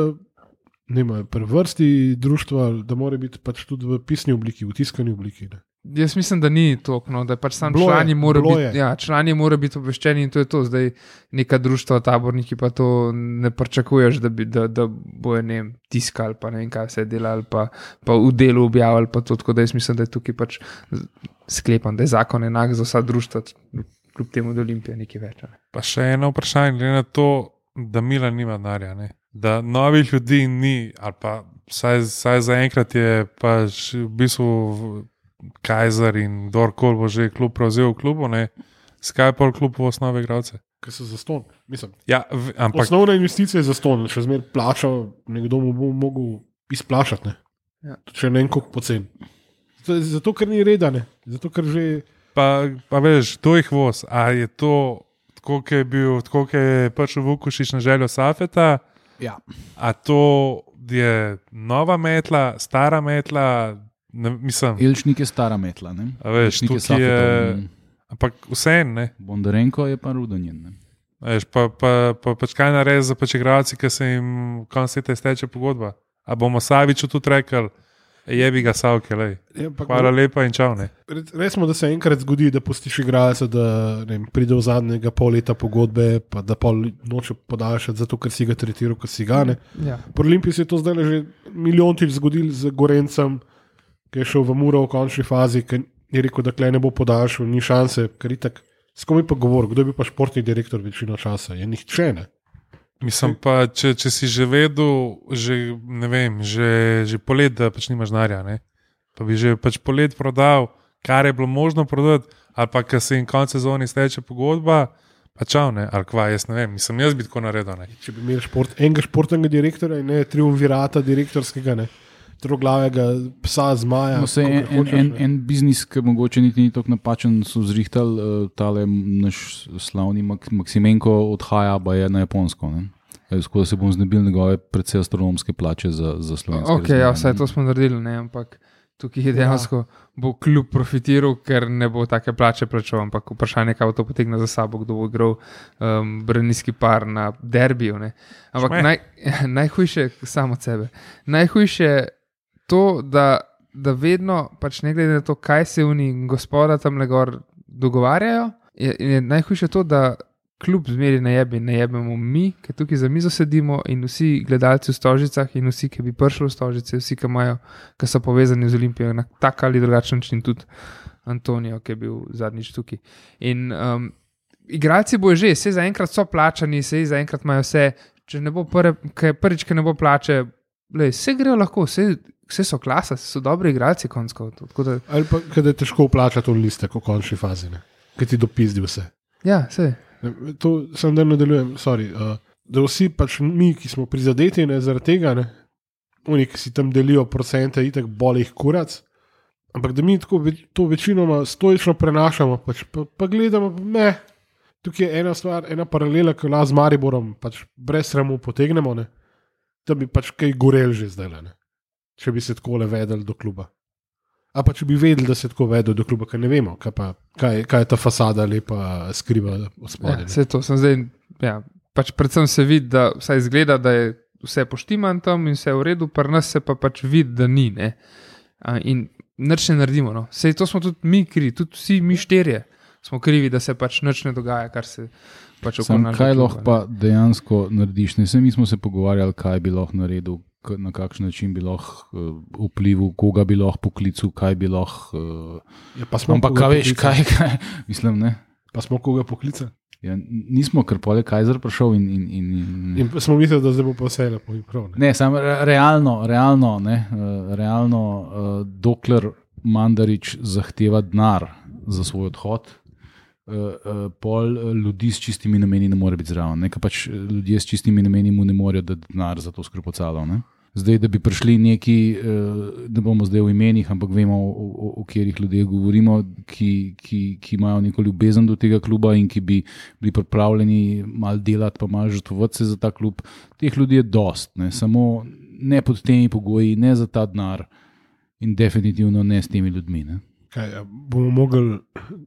nema pri vrsti društva, da mora biti pač tudi v pisni obliki, v tiskani obliki. Ne. Jaz mislim, da ni to, no, da pač sam Bilo je, člani morajo bilo biti, je. ja, člani morajo biti obveščeni in to je to. Zdaj neka društva, taborniki pa to ne pričakuješ, da, bi, da, da bojo ne vem, tiskali, pa ne vem kaj se delali, pa, pa v delu objavili, pa to, tako da jaz mislim, da je tukaj pač sklepam, da je zakon enak za vsa društva, kljub temu, da Olimpija nekaj več. Ne. pa še eno vprašanje, glede na to, da Milan nima denarja, ne. Da novih ljudi ni, ali pa vsaj, vsaj zaenkrat je pač v bistvu Kajzer in kdorkoli bo že klub prevzel v klubu, ne. Skaj pol klub v osnovi igralce. Ker so zaston. Mislim, Ja, v, ampak osnovna investicija je zaston, še zmeraj plača, nekdo mu bo mogel izplačati. Ne. Ja. Če ne vem, koliko pocen. Zato, zato, ker ni reda, ne. Zato, ker že pa, pa veš, to jih voz. A je to tako, kot je bil, tako kot je pač Vukušič na željo Safeta, Ja. a to je nova metla, stara metla, ne, mislim, Elšnik je stara metla. Ne? a veš, Elšnik tukaj je, Safetov, ampak vseeno, ne. Bondarenko je pa Rudanjen. Ne? Veš, pa, pa, pa, pač kaj naredi za pač igralci, ki se jim konec leta izteče pogodba. A bomo Saviču tudi rekli, jebi ga Savke, lej. je, pa, Hvala lepa in čau, ne. Resmo, da se enkrat zgodi, da pustiš igralca, da ne vem, pride v zadnjega pol leta pogodbe, pa da pol noče podaljšati, zato ker si ga tretiral, kot si ga ne. Ja. Pri Olimpiji se je to zdaj že milijontič zgodil z Gorencem, ki je šel v Muro v končni fazi, ki je rekel, da klej ne bo podaljšal, ni šanse, ker itak. S kom je pa govoril, kdo je bil pa športni direktor večino časa? Je nihče, ne. Mislim pa, če, če si že vedel, že, ne vem, že, že polet, da pač nimaš denarja, ne. Pa bi že pač polet prodal, kar je bilo možno prodati, ali pa, ker se jim konec sezone izteče pogodba, pa čau, ne, ali kva, jaz ne vem, mislim, jaz bi tako naredil, ne. Če bi imeli šport, enega športnega direktorja in ne triumvirata direktorskega, ne. troglavega psa zmaja. No, se, en, kakor hočeš, en, ne. en biznis, ki mogoče niti ni tako napačen, so zrihtali, uh, tale naš slavni Mak- Maksimenko odhaja, pa je na Japonsko. Ne? E, Tako da se bom znebil njegove predvsej astronomske plače za, za slovenske Ok, ja, razmere, vse ne. to smo naredili, ne, ampak tukaj je dejansko bo kljub profitiral, ker ne bo take plače plačal, ampak vprašanje, kaj bo to potegnilo za sabo, kdo bo igral um, branilski par na derbiju. Ne. Ampak Šme. naj, najhujše, samo od sebe, najhujše je to, da, da vedno, pač ne glede na to, kaj se oni gospoda tam le gor dogovarjajo, je, je najhujše to, da kljub zmeri ne jebi, ne jebemo mi, ki tukaj za mizo sedimo in vsi gledalci v Stožicah in vsi, ki bi prišli v Stožice, vsi, ki imajo, ki so povezani z Olimpijo na tak ali drugačen način, tudi Antonijo, ki je bil zadnjič tukaj. In um, igralci bojo že, vse zaenkrat so plačani, vse zaenkrat imajo vse, če ne bo prve, kaj, prvič, ki ne bo plače, lej, vse grejo lahko, vse, vse so klasa, so dobri igralci konsko. Da, Ali pa, kada je težko plačati v liste, v končni fazi, ki ti dopizdi vse. ja, vse. To sem da nadaljujem, sorry, uh, da vsi pač mi, ki smo prizadeti ne, zaradi tega, ne, oni, ki si tam delijo procente, itak boli jih kurac, ampak da mi tako ve, to večinoma stoično prenašamo, pač, pa, pa gledamo, ne, tukaj je ena stvar, ena paralela, ki jo z Mariborom pač brez sramu potegnemo, ne, da bi pač kaj gorel že zdaj, ne, če bi se tako le vedeli do kluba. A pa če bi vedeli, da se tako vedo do kluba, ker ne vemo, kaj, pa, kaj, kaj je ta fasada lepa skriva od spodaj. Ja, ne. vse to sem zdaj, ja, pač predvsem se vidi, da vsaj izgleda, da je vse poštiman tam in vse v redu, pri nas se pa pač vidi, da ni. Ne? A, in nič ne naredimo. No? Sej to smo tudi mi krivi, tudi vsi mi štirje smo krivi, da se pač nič ne dogaja, kar se pač okoli Sam, našega kaj kluba, lahko pa dejansko narediš? Ne, saj mi smo se pogovarjali, kaj bi lahko naredil, k- na kakšen način bi lahko uh, vplival, koga bi lahko poklical, kaj bi lahko. Uh, Ja, pa smo ampak koga kaj veš, poklicali? kaj, kaj mislim, ne? Pa smo koga poklicali. Ja, nismo, ker pol je Kajzer prišel in. in, in, in In smo mislili, da zdaj bo pa vse lepo in prav. Ne? Ne, samo re- realno, realno, ne, uh, realno uh, dokler Mandarič zahteva denar za svoj odhod, uh, uh, pol uh, ljudi s čistimi nameni ne more biti zraven. Ne, ker pač uh, ljudje s čistimi nameni mu ne morejo dati denar za to skropocalo. Ne. Zdaj, da bi prišli neki, uh, ne bomo zdaj v imenih, ampak vemo, o, o, o katerih ljudeh govorimo, ki, ki, ki imajo neko ljubezen do tega kluba in ki bi bili pripravljeni malo delati, pa malo žrtvovati se za ta klub. Teh ljudi je dost, ne, samo ne pod temi pogoji, ne za ta denar in definitivno ne s temi ljudmi. Ne. Kaj, a bomo mogli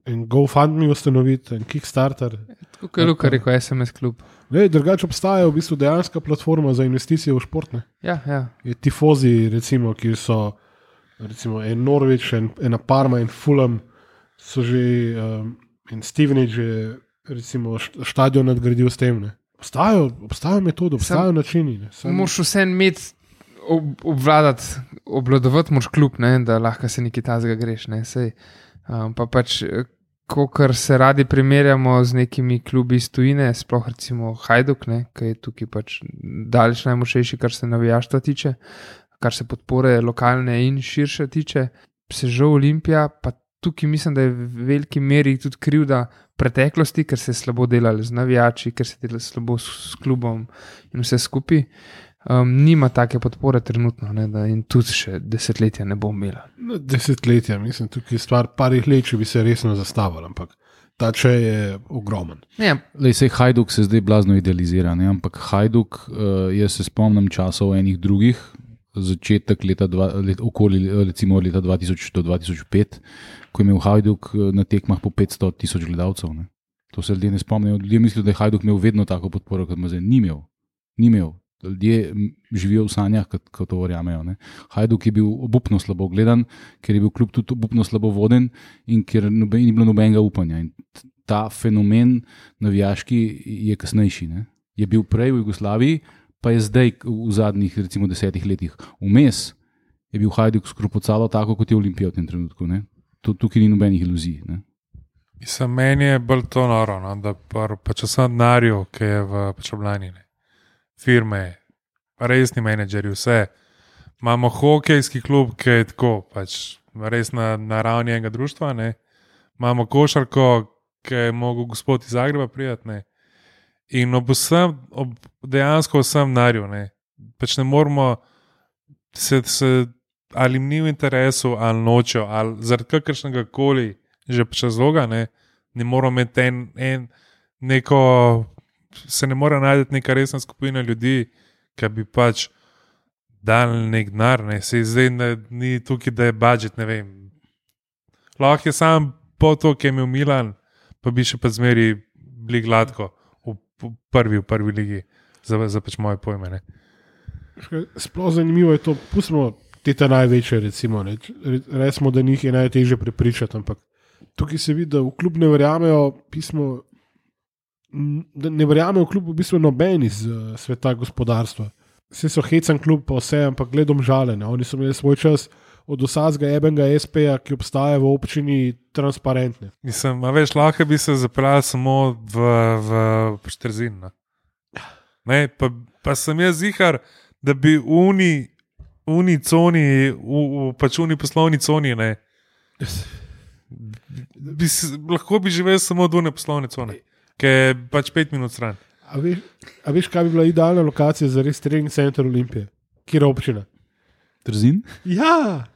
en GoFundMe ustanoviti, en Kickstarter. Tako kot je Luka rekel, S M S klub. Ne, drugače obstaja v bistvu dejanska platforma za investicije v šport. Ne. Ja, ja. Je Tifozi, recimo, ki so recimo, en Norwich, en, ena Parma in Fulham, so že um, en Stevenage je recimo št- štadion nadgradil s tem. Ne. Obstajajo, obstajajo metode, obstajajo načini. Ne. Samo- Moš vse imeti, ob, obvladati, obvladovati moš klub, ne, da lahko se nekaj tazga greš. Ne, sej, um, pa pač, kar se radi primerjamo z nekimi klubi iz tujine, sploh recimo Hajduk, ne, ki je tukaj pač daleč najmočnejši, kar se navijaštva tiče, kar se podpore lokalne in širše tiče. Se žal Olimpija, pa tukaj mislim, da je v veliki meri tudi krivda preteklosti, ker se je slabo delali z navijači, ker se je delali slabo s, s klubom in vse skupaj. Um, nima take podpore trenutno, ne, da in tudi še desetletja ne bo imela. No, desetletja, mislim, tukaj je stvar parih let, če bi se resno zastavili, ampak ta če je ogromen. Ne, Lej, sej Hajduk se zdaj blazno idealizira, ne? Ampak Hajduk, uh, jaz se spomnim časov enih drugih, začetek leta, dva, let, okoli recimo leta dva tisoč do dva tisoč pet, ko je imel Hajduk eh, na tekmah po petsto tisoč gledalcev. Ne? To se ljudje ne spomnijo. Ljudje mislijo, da je Hajduk imel vedno tako podporo, kot ima zdaj. Ni imel. Ni imel. Ljudje živijo v sanjah, kot to verjamejo. Ne? Hajduk je bil obupno slabo gledan, ker je bil kljub tudi obupno slabo voden in ker noben, ni bilo nobenega upanja. In ta fenomen navijaški je kasnejši. Ne? Je bil prej v Jugoslaviji, pa je zdaj v zadnjih recimo desetih letih. Vmes je bil Hajduk skropocalo tako, kot je Olimpija v tem trenutku. Ne? Tukaj ni nobenih iluzij. Ne? Mislim, meni je bolj to noro, no, da par, pač sem denarju, ki je v Počoblani, firme, resni menedžerji, vse. Imamo hokejski klub, ki je tako, pač res na, na ravni enega društva, ne. Imamo košarko, ki je mogel gospod iz Zagreba prijeti, ne. In ob vsem, ob dejansko vsem denarju, ne. Pač ne moramo se, se ali jim ni v interesu, ali nočejo, ali zaradi kakršnega koli že razloga, ne, ne moramo imeti en, en neko, se ne mora najti neka resna skupina ljudi, ki bi pač dali nek denar, ne, se zdaj ne, ni tukaj, da je budžet, ne vem. Lahko je sam po to, ki je imel Milan, pa bi še pa zmeri bili gladko v, v prvi, v prvi ligi, za, za pač moje pojme, ne. Sploh zanimivo je to, pustimo te ta največje, recimo, ne. Resmo, da njih je najtežje prepričati, ampak tukaj se vidi, da v klub ne verjamejo pismo, da ne verjamejo v klub v bistvu noben iz uh, sveta gospodarstva. Vse so hecan klub pa vse, ampak gledom žalene. Oni so imeli svoj čas od vsakega ebenga es pe-ja, ki obstaja v občini, transparentne. Mislim, a veš, lahko bi se zapeljal samo v, v Šterzin. Ne? Ne, pa, pa sem jaz zihar, da bi v uni, uni coni, v, v pač uni poslovni coni, ne, bi, lahko bi živel samo od une poslovne cone, ki je pač pet minut stran. A veš, a veš, kaj bi bila idealna lokacija za res trening center Olimpije? Kjer občina? Trzin? Ja,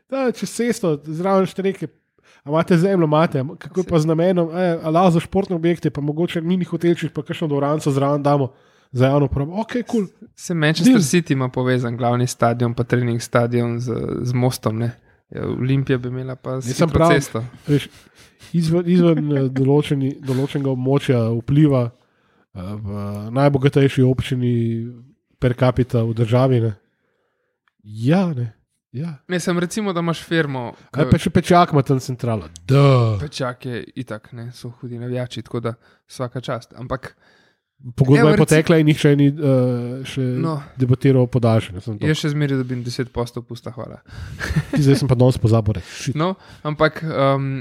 da, če cesto, zraven štreke, a imate zemljo, imate, kako je pa z namenom, ala za športne objekte, pa mogoče mini hotelčih, pa kakšno dvoranco zraven damo za javno uporabo. Ok, kul. Cool. Se Manchester Deal. City ima povezan glavni stadion, pa trening stadion z, z mostom, ne? Ja, Olimpija bi imela pa hitro cesto. Veš, izven izven določeni, določenega območja vpliva v najbogatejši občini per capita v državi, ne? Ja, ne. Ja. Ne, sem recimo, da imaš firmo. Kaj pa še Pečak ima tam centralo? Da. Pečak je itak, ne, so hudi navijači, tako da vsaka čast. Ampak pogodba je potekla in nihče ni uh, še no, debatiral o podaljšanju. Jaz še zmeraj dobim deset posto pusta, hvala. Zdaj sem pa danes pozabil reči. No, ampak um,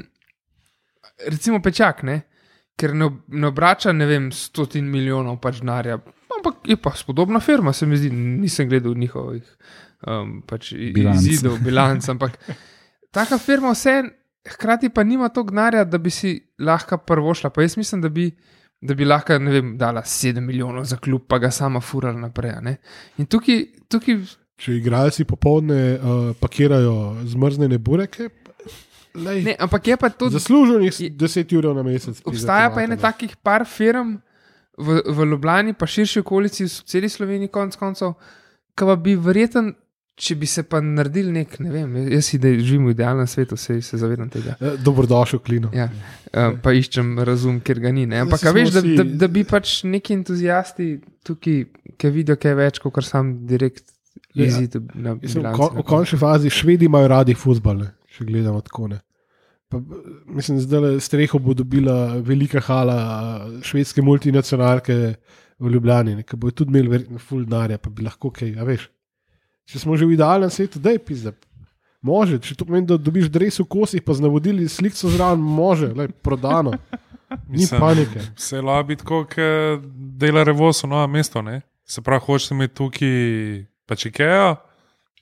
recimo Pečak, ne, ker ne, ne obrača, ne vem, stotin milijonov pač denarja, ampak je pa spodobna firma, se mi zdi, nisem gledal njihovih um, pač izidov, bilanc, ampak taka firma vse, hkrati pa nima toliko denarja, da bi si lahko prvošla, pa jaz mislim, da bi da bi lahko, ne vem, dala sedem milijonov za klub, pa ga sama furala naprej, ne. In tukaj, tukaj... Če igralci popolne uh, pakirajo zmrznene bureke, lej, ne, ampak je pa to... Zaslužil njih deset ur na mesec. Obstaja pa ene takih par firm v, v Ljubljani, pa širši okolici, v celi Sloveniji konc koncev, ki pa bi verjeten, če bi se pa naredil nek, ne vem, jaz si, da živim v idealnem svetu, se, se zavedam tega. Dobrodošel, Klino. Ja, pa iščem razum, ker ga ni, ne. Ampak, a veš, da, da, da bi pač neki entuzijasti tukaj, ki vidijo kaj več, kot kar sam direkt izid na bilanci. V končni fazi Švedi imajo radi fuzbal, ne, če gledamo tako, ne. Pa, mislim, zdaj streho bo dobila velika hala švedske multinacionalke v Ljubljani, ne, ki bojo tudi imeli verjetno ful denarja, pa bi lahko kaj, a veš. Če smo že v idealnem svetu, daj pizda. Može, če to pomeni, da dobiš dres v kosih, pa z navodili slikco zraven, može, lej, prodano. Ni Mislim, panike. Se je lahko biti, kot dela Revoso, novo mesto, ne? Se pravi, hočeš imeti tukaj pač Ikeo,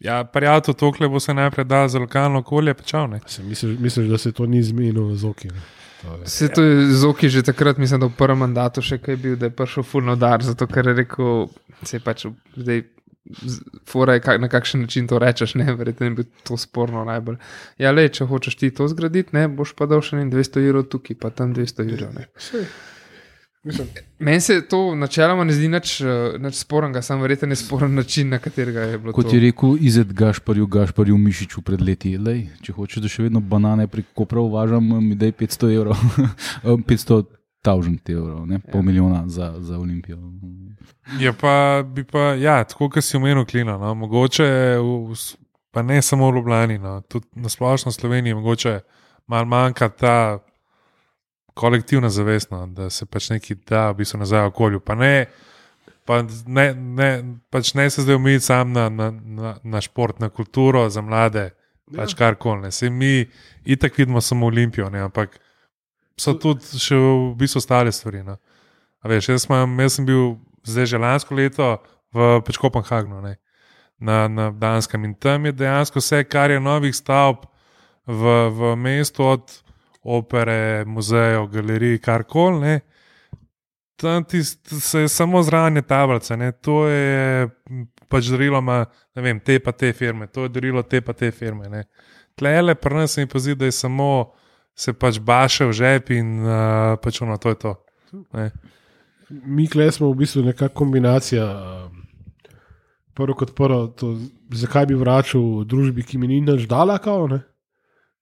ja, prijatelj tokle bo se najprej dal za lokalno okolje, pečal, ne? Se misliš, misliš, da se to ni zmenilo z oki, ne? To je. Se to je z oki že takrat, mislim, da v prvem mandatu še kaj bil, da je prišel fulno dar, zato ker je rekel, se je pač zdaj fora je, na kakšen način to rečeš, ne, verjetno je bilo to sporno najbolj. Ja, le, če hočeš ti to zgraditi, ne, boš pa dal še dvesto evrov tukaj, pa tam dvesto evrov, ne. Meni se to načeloma ne zdi nič, nič spornega, sam verjetno je sporen način, na katerega je bilo Kot to. Kot je rekel Izet Gašparju, Gašparju Mišiču pred leti, lej, če hočeš, da še vedno banane prek Kopra uvažam, mi daj petsto evrov, petsto tisoč evrov, ne, pol ja. milijona za, za Olimpijo. Ja, pa bi pa, ja, tako, kot si omenil, Klino, no, mogoče, v, pa ne samo v Ljubljani, no, tudi na splošno Sloveniji, mogoče malo manjka ta kolektivna zavest, no, da se pač neki da v bistvu nazaj v okolju, pa ne, pa ne, ne, pač ne se zdaj omejiti sam na, na, na, na šport, na kulturo za mlade, pač ja. Karkoli, ne, se mi itak vidimo samo Olimpijo, ne, ampak so tudi še v bistvu ostale stvari, no. A veš, jaz, mam, jaz sem bil zdaj že lansko leto v pač Kopenhagnu, ne, na, na Danskem in tam je dejansko vse, kar je novih stavb v, v mestu od opere, muzejev, galerij, karkoli, ne, tam ti se je samo zranje tablice, ne, to je pač darilo ima, ne vem, te pa te firme, to je darilo te pa te firme. Ne. Tlele pri nas se mi pa zdi, da je samo se pač baše v žep in uh, pač ono, to je to. Ne. Mi kle smo v bistvu nekakšna kombinacija. Prvo kot prvo, to, zakaj bi vračal družbi, ki mi ni nič dala, kao, ne?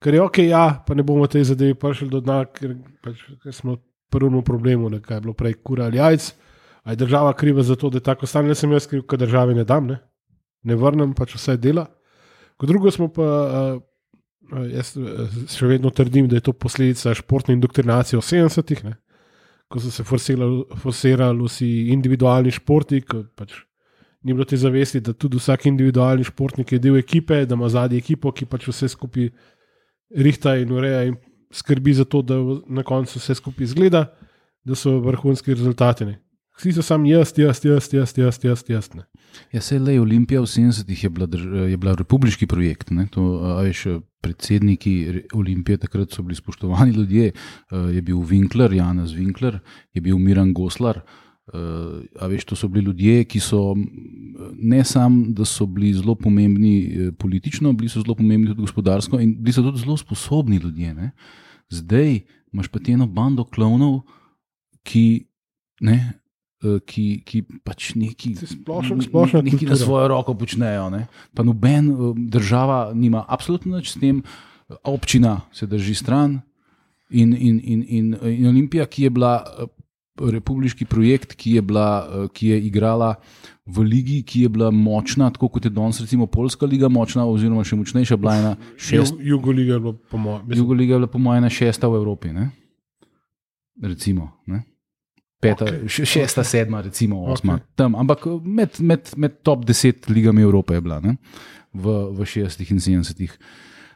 Ker je ok, ja, pa ne bomo te zadevi prišli do dna, ker, pač, ker smo prvno problemu, ne, kaj je bilo prej kura ali jajc. A je država kriva za to, da je tako stane, ne sem jaz kriv, ker državi ne dam, ne, ne vrnem, pač vse dela. Kot drugo smo pa, uh, jaz še vedno trdim, da je to posledica športne indoktrinacije v sedemdesetih, ne, ko so se forsirali, forsirali vsi individualni športi, ko pač ni bilo te zavesti, da tudi vsak individualni športnik je del ekipe, da ima zadnji ekipo, ki pač vse skupaj rihta in ureja in skrbi za to, da na koncu vse skupaj izgleda, da so vrhunski rezultati. Ne. Vsi so sam jaz, jaz, jaz, jaz, jaz, jaz, jaz. Ne. Ja, se le Olimpija v sedemdesetih je bila, je bila republiški projekt. Ne? To, a veš, predsedniki Olimpije takrat so bili spoštovani ljudje. Je bil Winkler, Janez Winkler, je bil Miran Goslar. A veš, to so bili ljudje, ki so ne samo, da so bili zelo pomembni politično, bili so zelo pomembni tudi gospodarsko in bili so tudi zelo sposobni ljudje. Ne? Zdaj imaš pa eno bando klovnov, ki, ne, ki, ki pač neki, splošno, splošno neki na svojo roko počnejo. Ne? Pa noben država nima absolutno nič s tem, občina se drži stran in, in, in, in, in Olimpija, ki je bila republiški projekt, ki je, bila, ki je igrala v ligi, ki je bila močna, tako kot je danes recimo Poljska liga močna, oziroma še močnejša, bila ena šest. Jugoliga je bila po mojem. Jugoliga je bila po mojem ena šesta v Evropi, ne? Recimo, ne? Peta, okay. Šesta, sedma, recimo osma. Okay. Tam, ampak med, med, med top deset ligami Evrope je bila, ne? V, v šestih in sedemdesetih.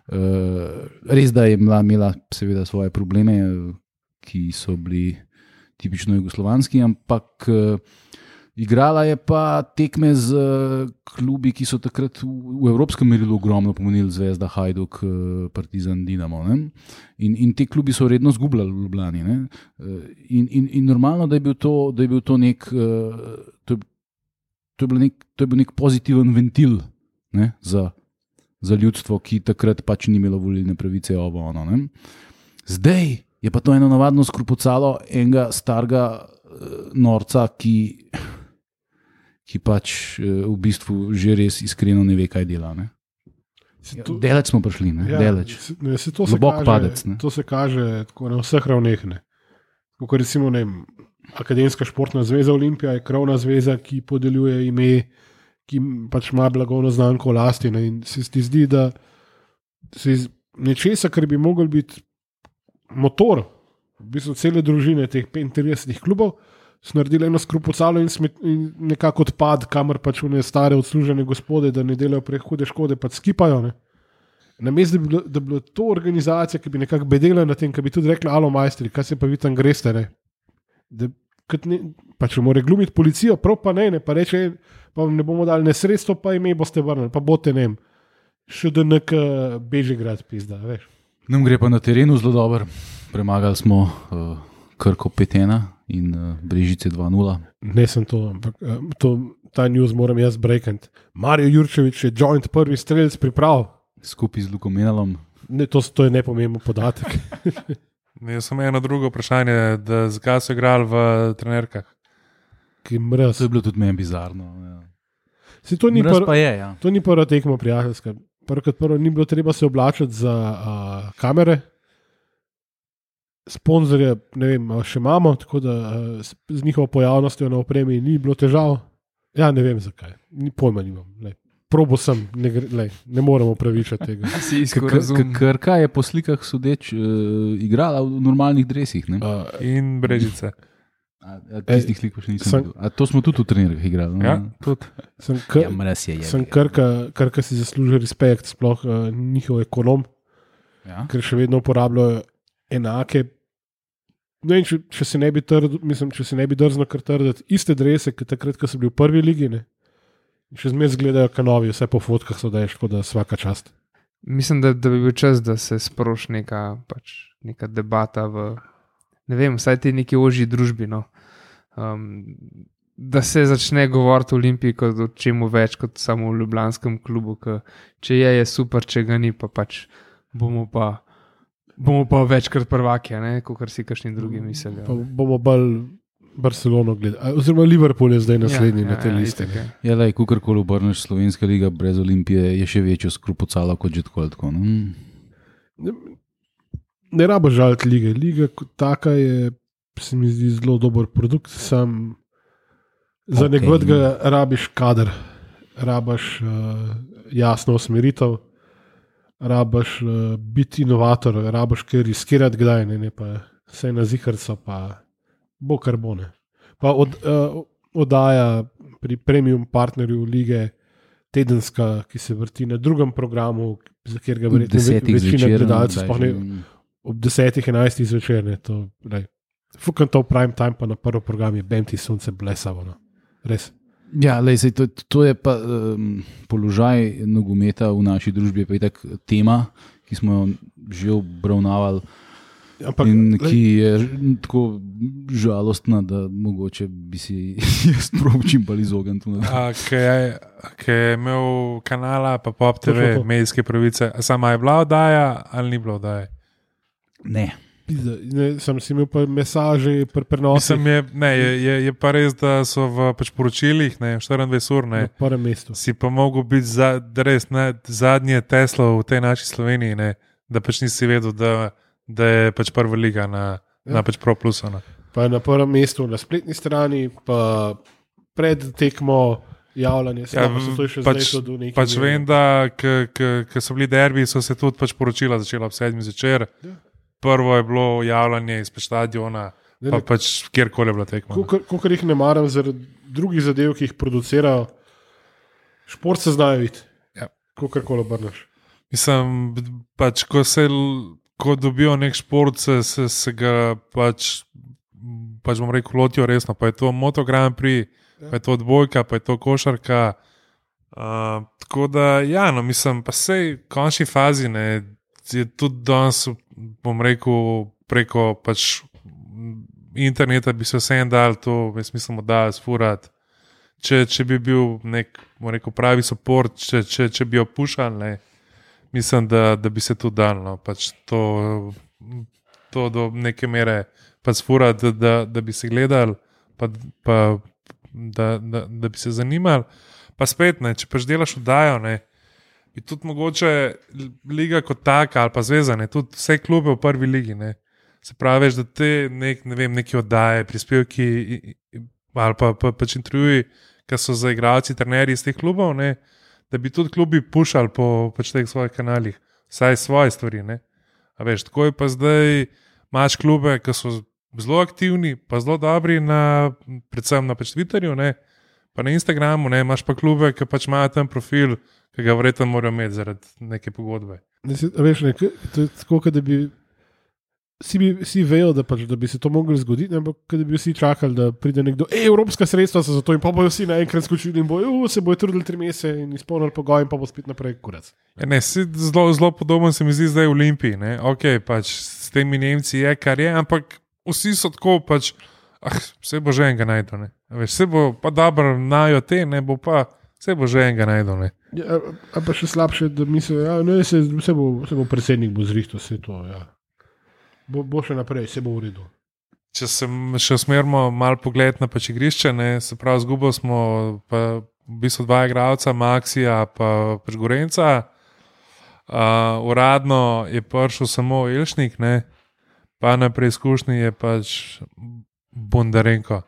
Uh, res, da je imela, imela seveda svoje probleme, ki so bili tipično jugoslovanski, ampak uh, igrala je pa tekme z uh, klubi, ki so takrat v, v evropskem merilu ogromno pomenili, Zvezda, Hajduk, uh, Partizan, Dinamo. Ne? In, in te klubi so redno zgubljali v Ljubljani. Ne? Uh, in, in, in normalno, da je bil to, da je bil to nek, uh, to, to, je bil nek, to je bil nek pozitiven ventil, ne? Za, za ljudstvo, ki takrat pač ni imelo volilne pravice. Ovo, ono, ne? Zdaj je pa to eno navadno skrupucalo enega starega uh, norca, ki, ki pač uh, v bistvu že res iskreno ne ve, kaj dela. Ne? Ja, to, deleč smo prišli, ne? Ja, deleč. Ne, se to, globok se kaže, padec. Ne? To se kaže tako na vseh ravneh. Kot recimo ne, Akademska športna zveza Olimpija je krovna zveza, ki podeljuje ime, ki pač ima blagovno znamko v lasti. Ne? In se ti zdi, da se iz nečesa, kar bi mogel biti motor, v bistvu cele družine teh petintridesetih klubov, so naredili eno skrupucalo in, smet, in nekako odpad, kamor pač v ne stare odslužene gospode, da ne delajo prehude škode, pač skipajo. Namesto, da, da bi bilo to organizacija, ki bi nekako bedela na tem, ki bi tudi rekla, alo majstri, kaj se pa vi tam greste, ne? Da, ne, pač mora glumiti policijo, prav pa ne, ne, pa reče, pa vam ne bomo dali ne sredstvo, pa ime boste vrnili, pa bote ne, še da nek Bežigrad pizda, veš. Nam gre pa na terenu zelo dobro. Premagali smo uh, Krko pet ena in uh, Brežice dva nula. Ne sem to, ampak uh, to, ta news moram jaz breakant. Mario Jurčević je joint prvi strelec priprav. Skupaj z Lukom Menalom. Ne, to, to je nepomemben podatek. Ne, samo eno drugo vprašanje, da zakaj so igrali v trenerkah? Ki mraz. To je bilo tudi meni bizarno. Ja. Si, to ni mraz pr- pa je, ja. To ni prva tekma prijateljska. Prvo kot prvo ni bilo treba se oblačiti za uh, kamere, sponzorje, ne vem, še imamo, tako da uh, z njihovo pojavnostjo na opremi ni bilo težav. Ja, ne vem zakaj, ni pojma nimam. Lej. Probo sem, ne, lej, ne moremo pravičati tega. Krka je po slikah sodeč uh, igrala v normalnih dresih. Ne? Uh, in Brežice. A, a tistih slik pa še nisem videl. A to smo tudi v trenerkah igrali. Ja, tudi. Sem, kr- ja, mraz je, je, sem krka, krka si zasluži respekt, sploh uh, njihov ekonom, ja? Ker še vedno uporabljajo enake, ne vem, če, če se ne bi trd, mislim, če se ne bi drzno kar trditi, iste drese, kot takrat, ko so bili v prvi ligi, ne? Še zmeraj zgledajo kanovi, vse po fotkah so daješ, tako da svaka čast. Mislim, da, da bi bil čas, da se sproši neka, pač, neka debata v, ne vem, vsaj te neki ožji družbi. No. Um, da se začne govoriti o Olimpiji kot o čemu več kot samo v ljubljanskem klubu, ki če je, je super, če ga ni, pa pač bomo pa, bomo pa večkrat prvaki, kot si kakšni drugi mislijo. Pa bomo bolj Barcelono gledali, oziroma Liverpool je zdaj naslednji ja, na tej ja, listi. Ja, lej, kukorkoli obrneš, Slovenska liga brez Olimpije je še večjo skrupocala kot že tako. tako no? Ne, ne rabo žaliti lige. Liga kot taka je, se mi zdi, zelo dober produkt, sam za okay. nekega rabiš kader, rabiš uh, jasno usmeritev, rabiš uh, biti inovator, rabiš kaj riskirati kdaj, ne, ne pa vse na zihrco, pa bo kar bo ne. Pa od, uh, oddaja pri premium partnerju lige tedenska, ki se vrti na drugem programu, za kjer ga verjetno večina gledalcev sploh ne ob desetih, enajstih zvečer, ne, to, ne. Fukam to v prime time, pa na prvi program je Bem ti sunce blesavo, no. Res. Ja, lej, sej, to, to je pa um, položaj nogometa v naši družbi, pa je tak tema, ki smo jo že obravnavali. Ampak, in ki je tako žalostna, da mogoče bi si jaz prav čim bolj izognil. Ki je imel kanala, pa Pop T V, medijske pravice, sama je bila oddaja ali ni bila oddaja? Ne. Ne, sem si imel pa mesaže pri prenosu. Je, je, je, je pa res, da so v pač poročilih, ne, štiriindvajset ur, ne, na prvem mestu. Si pa mogel biti za, res, ne, zadnje Tesla v tej naši Sloveniji, ne, da pač nisi vedel, da, da je pač prva liga na, ja. na pač Pro Plusu. Ne. Pa na prvem mestu na spletni strani, pa pred tekmo javljanje. Ja, pač pač vem, da ko so bili derbi, so se tudi pač poročila začela ob sedmi zvečer. Ja. Prvo je bilo javljanje izpred stadiona, ne, pa ne, pač kjerkoli je bila tekma. Kolikor jih ne maram zaradi drugih zadev, ki jih producirajo, šport se znajo videti, ja. Kolikor obrneš. Mislim, pač, ko se ko dobijo nek šport, se, se, se ga pač, pač bom rekel, lotijo resno. Pa je to Moto Grand Prix, ja. Pa je to odbojka, pa je to košarka. Uh, tako da, ja, no, mislim, pa sej v končni fazi, ne, je tudi danes, bom rekel, preko pač interneta bi se vsem dal to, jaz mislim, da sfurati. Če, če bi bil nek, bom rekel, pravi support, če, če, če bi jo pušali, ne, mislim, da, da bi se tudi dal, no, pač to, to do neke mere pač sfurati, da, da, da bi se gledali, pa, pa da, da, da bi se zanimali. Pa spet, ne, če pač delaš oddajo, ne, bi tudi mogoče liga kot taka ali pa zveza, ne, tudi vse klube v prvi ligi, ne, se pravi, da te nek, ne vem, neki oddaje, prispevki ali pa, pa pač intervjuji, ki so za igralci, trenerji iz teh klubov, ne, da bi tudi klubi pušali po pač teh svojih kanalih, vsaj svoje stvari, ne. A veš, tako je pa zdaj imaš klube, ki so zelo aktivni, pa zelo dobri na, predvsem na pač Twitterju, ne, pa na Instagramu, ne, imaš pa klube, ki pač imajo tam profil, ki ga verjetno morajo imeti zaradi neke pogodbe. Ne, veš, ne, to je tako, da bi vsi, bi, vsi vejo, da, pač, da bi se to mogli zgoditi, ampak da bi vsi čakali, da pride nekdo, ej, evropska sredstva so za to in pa bojo vsi naenkrat skočili in bojo, se bojo trudili tri mesece in izpolnili pogoj in pa bo spet naprej kurac. Ja, ne, zelo, zelo podoben se mi zdi zdaj v Olimpiji, ne, ok, pač s temi Nemci je, kar je, ampak vsi so tako pač, ah, vse bo že enega najdo, ne, veš, vse bo pa dobro najo te, ne, bo pa vse bo že enega najdo, ne. Ja, a pa še slabše, da mislijo, ja, ne, se, se, bo, se bo predsednik bo zrihto vse to, ja. Bo, bo še naprej, se bo v redu. Če se še usmerimo malo pogled na pač igrišče, ne, se pravi, zgubili smo pa v bistvu dva igralca, Maxija pa pač Gorenca. Uh, uradno je prišel samo Elšnik, ne, pa na preizkušnji je pač Bondarenko.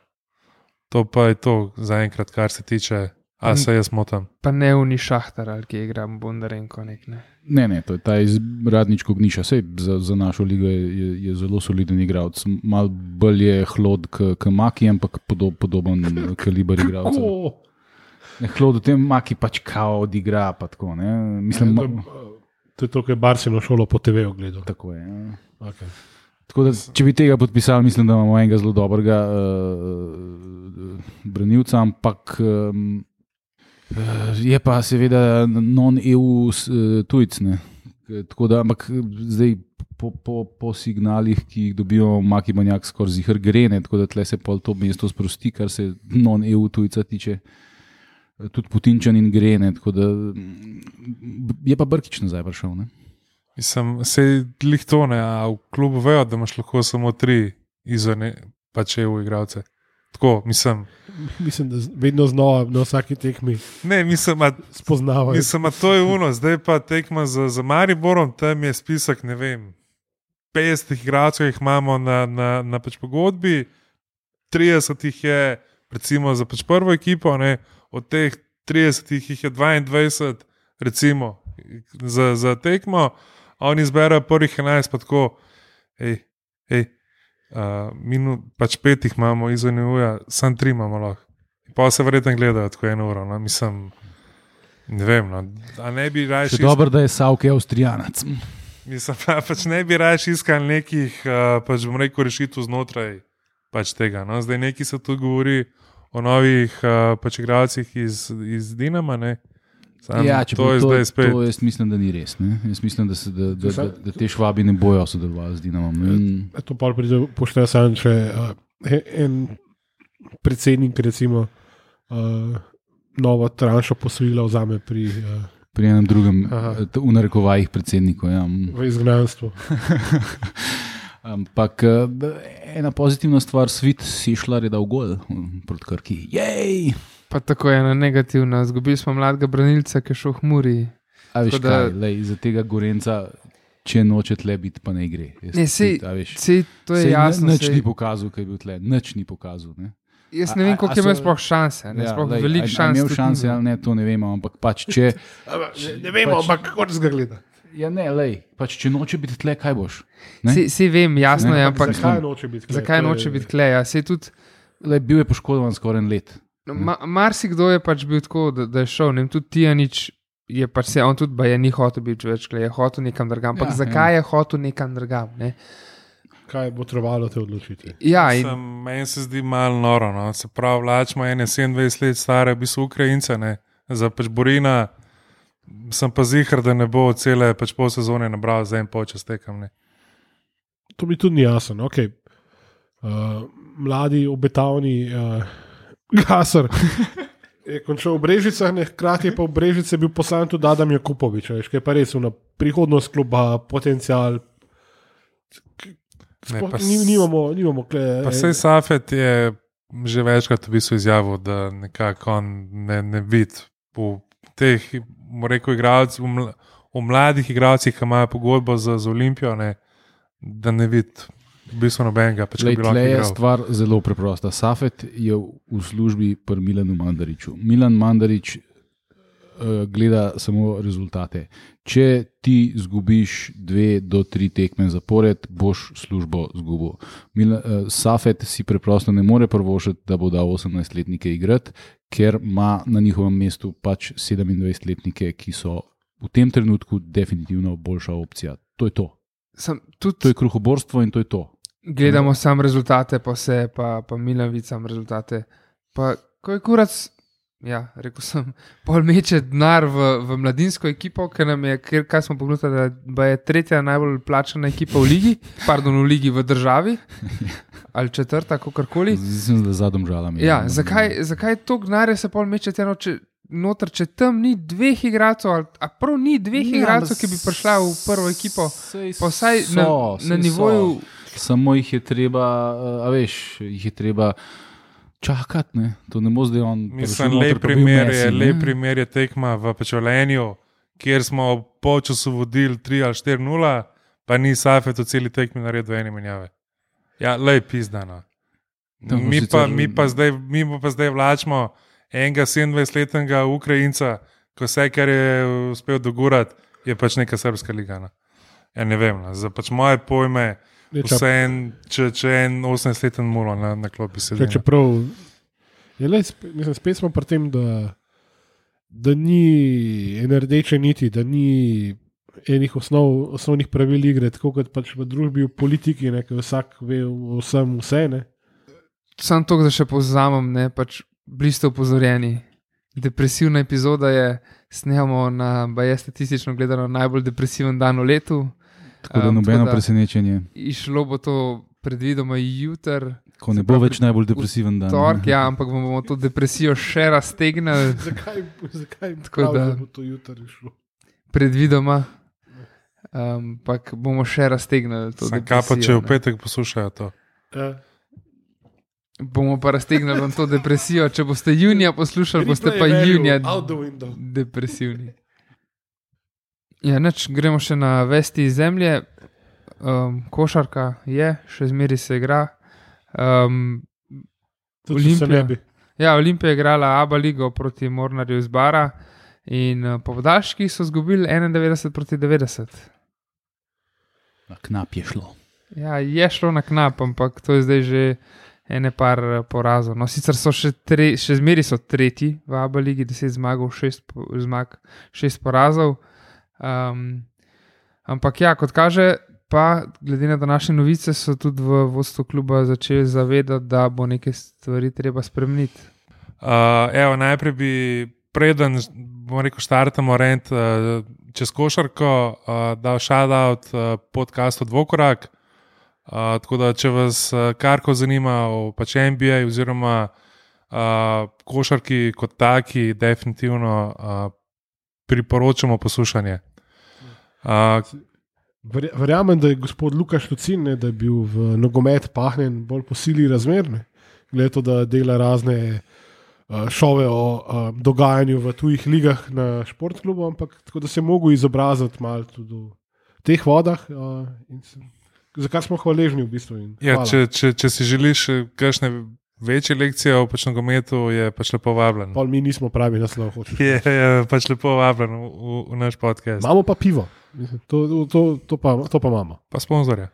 To pa je to zaenkrat, kar se tiče. A se jaz motam. Pa ne uni Šahtar, ali ki igra Bondarenko nek, ne? Ne, ne, to je ta iz Radničko Gniša. Sej za, za našo ligo je, je, je zelo soliden igralec. Mal bolj je hlod k Maki, ampak podob, podoben kaliber igralca. Hlod v tem Maki pač kao odigra, pa tako, ne? Mislim, ja, to, to je to, kaj Barsino šolo po te veju gledal. Tako je, ja. Okay. Tako da, če bi tega podpisali, mislim, da imamo enega zelo dobrega uh, branilca, ampak um, je pa seveda non-E U tujc, ne. Tako da, ampak zdaj po, po, po signalih, ki jih dobijo Maki Banjak skoraj zihar grene, tako da tle se pol to mesto sprosti, kar se non-E U tujca tiče. Tudi Putinčan in grene, tako da je pa Brkić nazaj prišel, ne? Mislim, se lih to ne, a v klubu vejo, da imaš lahko samo tri izven pač E U igralce. Tako, mislim. Mislim, da vedno znova na vsaki tekmi Ne, mislim, a, spoznavajo. mislim, a to je uno, zdaj pa tekma za, za Mariborom, tam je spisek, ne vem, petdeset igralcev jih imamo na, na, na pač pogodbi, trideset jih je recimo za pač prvo ekipo, ne, od teh tridesetih jih je dvaindvajset, recimo, za, za tekmo, a oni izberajo prvih enajst, pa tako, hej, hej, uh, minu, pač petih imamo izven E U-ja, sam tri imamo lahko. Pa se verjetno gledajo tako eno uro, no, mislim, ne vem, no, a ne bi raje... Še dobro, da je Savke Avstrijanac. Mislim, pa, pač ne bi raje iskal nekih, uh, pač bom rekel, rešitev znotraj pač tega, no, zdaj neki se tu govori o novih uh, pač igralcih iz, iz Dinama, ne. Sam, Ja, če to je to, zdaj spet. to jaz mislim, da ni res. Ne? Jaz mislim, da, se, da, da, da, da te švabi ne bojo sodelovali z Dinamom. In, To pa pride pošteje sam, če uh, en predsednik recimo uh, novo tranšo posojila vzame pri, uh, pri enem drugem, Aha. eh, v narekovajih predsedniku. Ja. v izgnanstvu. Ampak eh, ena pozitivna stvar, Svit Sešljar je dal gol hm, proti Krki. Jej! Pa tako je ena negativna. Zgubili smo mladega branilca, ki je šel v Muri. A veš Tako da- kaj, lej, za tega Gorenca, če noče tle biti, pa ne gre. Jaz, Ne, sej- a veš, Sej, to je sej jasno. Nič Sej, ni pokazal, kaj je bil tle. Nič ni pokazal. Ne? jaz ne vem, A- a- koliko a je imel so- sploh šanse. Ne, sploh lej, veliko a- a šans. Imel tudi šanse ni. ali ne, to ne vemo, ampak pač če... Ne, ne vemo, Pač- ampak kako se ga gleda. Ja, ne, lej, pač če noče biti tle, kaj boš? Ne? Sej, sej vem, jasno Ne, je, ampak ampak Zakaj noče biti? tukaj? zakaj To je- noče biti kleja? Sej tudi Lej, bil je poškodovan skoraj en let. no, ma, marsikdo je pač bil tako, da, da je šel. Ne vem, tudi Tijanič je pač se, on tudi ba je ni hotel biti več kleja, je hotel nekam drugam. Ampak Ja, zakaj je hotel nekam drugam? Ne? Kaj bo trebalo te odločiti? Ja, in, Sem, meni se zdi malo noro. No. Se pravi, vlačimo ene sedemindvajset let stare, v bistvu Ukrajince, ne. Za pač Borina sem pa zihar, da ne bo cele pač pol sezone nabral za en polčas tekam. Ne. To mi tudi ni jasno. Okay. Uh, mladi, obetavni uh, gasar je končal v Brežicah, ne, hkrati je pa v Brežice bil poslan tudi Adam Jakupovič, veš, ki je pa res na prihodnost kluba, potencial. Ne, Sploh pa s- ni- Nimamo, nimamo kle, Pa sej Safet je že večkrat v bistvu izjavil, da nekako on ne, ne vidi v teh, bom rekel, igralcih, v, mla, v mladih igralcih, ki imajo pogodbo za, za Olimpijo, ne, da ne vidi v bistvu nobenega. Pač, Lej, ki bi lahko tle je igral. stvar zelo preprosta. Safet je v službi pri Milanu Mandariču. Milan Mandarič uh, gleda samo rezultate. Če ti zgubiš dve do tri tekme zapored, boš službo zgubil. Mila, uh, Safet si preprosto ne more prvošiti, da bo dal osemnajstletnike igrati, ker ima na njihovem mestu pač sedemindvajsetletnike, ki so v tem trenutku definitivno boljša opcija. To je to. sem, To tudi je kruhoborstvo in to je to. gledamo sam rezultate, pa se, pa, pa Milan vidi sam rezultate. Pa ko je kurac, ja, rekel sem, pol meče denar v, v mladinsko ekipo, ker nam je, ker, kaj smo pogledali, da je tretja najbolj plačana ekipa v ligi, pardon, v ligi v državi, ali četrta, kakorkoli. Mislim, da zadom žalam. Ja, zakaj, zakaj to gnare se pol meče teno, če, noter, če tam ni dveh igralcev, ali a prav ni dveh Ja, igralcev, ma ki bi prišla v prvo ekipo, Sej pa vsaj na, so, na sej nivoju. so. Samo jih je treba, a veš, jih je treba čakati. Ne? To ne bo zdaj on. Mislim, lep primer, je, lep primer je tekma v Pečolenju, kjer smo v polčasu vodili tri ali štiri nula, pa ni Safet v celi tekmi naredil ene menjave. Ja, lep pizdano. To bo Mi sicer- pa, mi, pa zdaj, mi pa zdaj vlačimo enega sedemindvajsetletnega Ukrajinca, ko vse, kar je uspel dogurati, je pač neka srpska liga. No. Ja, ne vem, no. Za pač moje pojme, Ne, ča- vse en, če, če en osemnajstleten mulo na, na klopi sedi. Če, čeprav, je le, sp- mislim, spet smo pri tem, da, da ni ene rdeče niti, da ni enih osnov, osnovnih pravil igre, tako kot pač v družbi, v politiki, ne, ker vsak ve o vsem vse. Ne. Sam to, da še povzamem, ne, pač bili ste upozorjeni. Depresivna epizoda je, snemamo na, baje statistično gledano, najbolj depresiven dan v letu. Tako da Um, nobeno tako da- presenečenje, Išlo bo to predvidoma jutri, ko ne bo več najbolj depresiven dan. torek, ja, ampak bomo to depresijo še raztegnili, Zakaj, zakaj Tako prav, da- da bo to jutri šlo? predvidoma. Ampak um, bomo še raztegnili to. Sam kaj pa, če depresijo, v ne. petek poslušajo to? Ja. Bomo pa raztegnili vam to depresijo. Če boste junija poslušali, boste pa Replay value junija out the window. depresivni. Ja, neč, gremo še na vesti iz zemlje. Um, košarka je, še zmeri se igra. Um, Tudi če se Olimpija. ne bi. ja, Olimpija je igrala Aba ligo proti Mornarju iz Bara in uh, po podaljških so izgubili enaindevetdeset proti devetdeset. Na knap je šlo. Ja, je šlo na knap, ampak to je zdaj že ene par eh, porazov. No, sicer so še, tre, še zmeri so tretji v Aba ligi, deset zmagov, šest, po- zmag, šest porazov. Um, ampak ja, kot kaže, pa glede na današnje novice, so tudi v vodstvu kluba začeli zavedati, da bo neke stvari treba spremeniti. Uh, evo, najprej bi, preden bomo rekel, štartamo rent uh, čez košarko, uh, dal shout-out uh, podcastu Dvokorak. Uh, tako da, če vas uh, karko zanima o pač N B A oziroma uh, košarki kot taki, definitivno uh, priporočamo poslušanje. Uh, Verja- Verjamem, da je gospod Lukaš Lucin, ne, da je bil v nogomet pahnjen bolj po sili razmerne. Glede to, da dela razne uh, šove o uh, dogajanju v tujih ligah na športklubu, ampak tako da se je mogel izobraziti malo tudi v teh vodah, uh, in se, za kar smo hvaležni v bistvu. in ja, hvala. če, če, če si želiš eh, kakšne večje lekcije o pač nogometu, je pač lepo vabljen. Pol mi nismo pravi naslov. hočeš. Je, je pač lepo vabljen v, v, v naš podcast. Imamo pa pivo, Mislim, to, to, to, pa, to pa imamo. Pa sponzorja.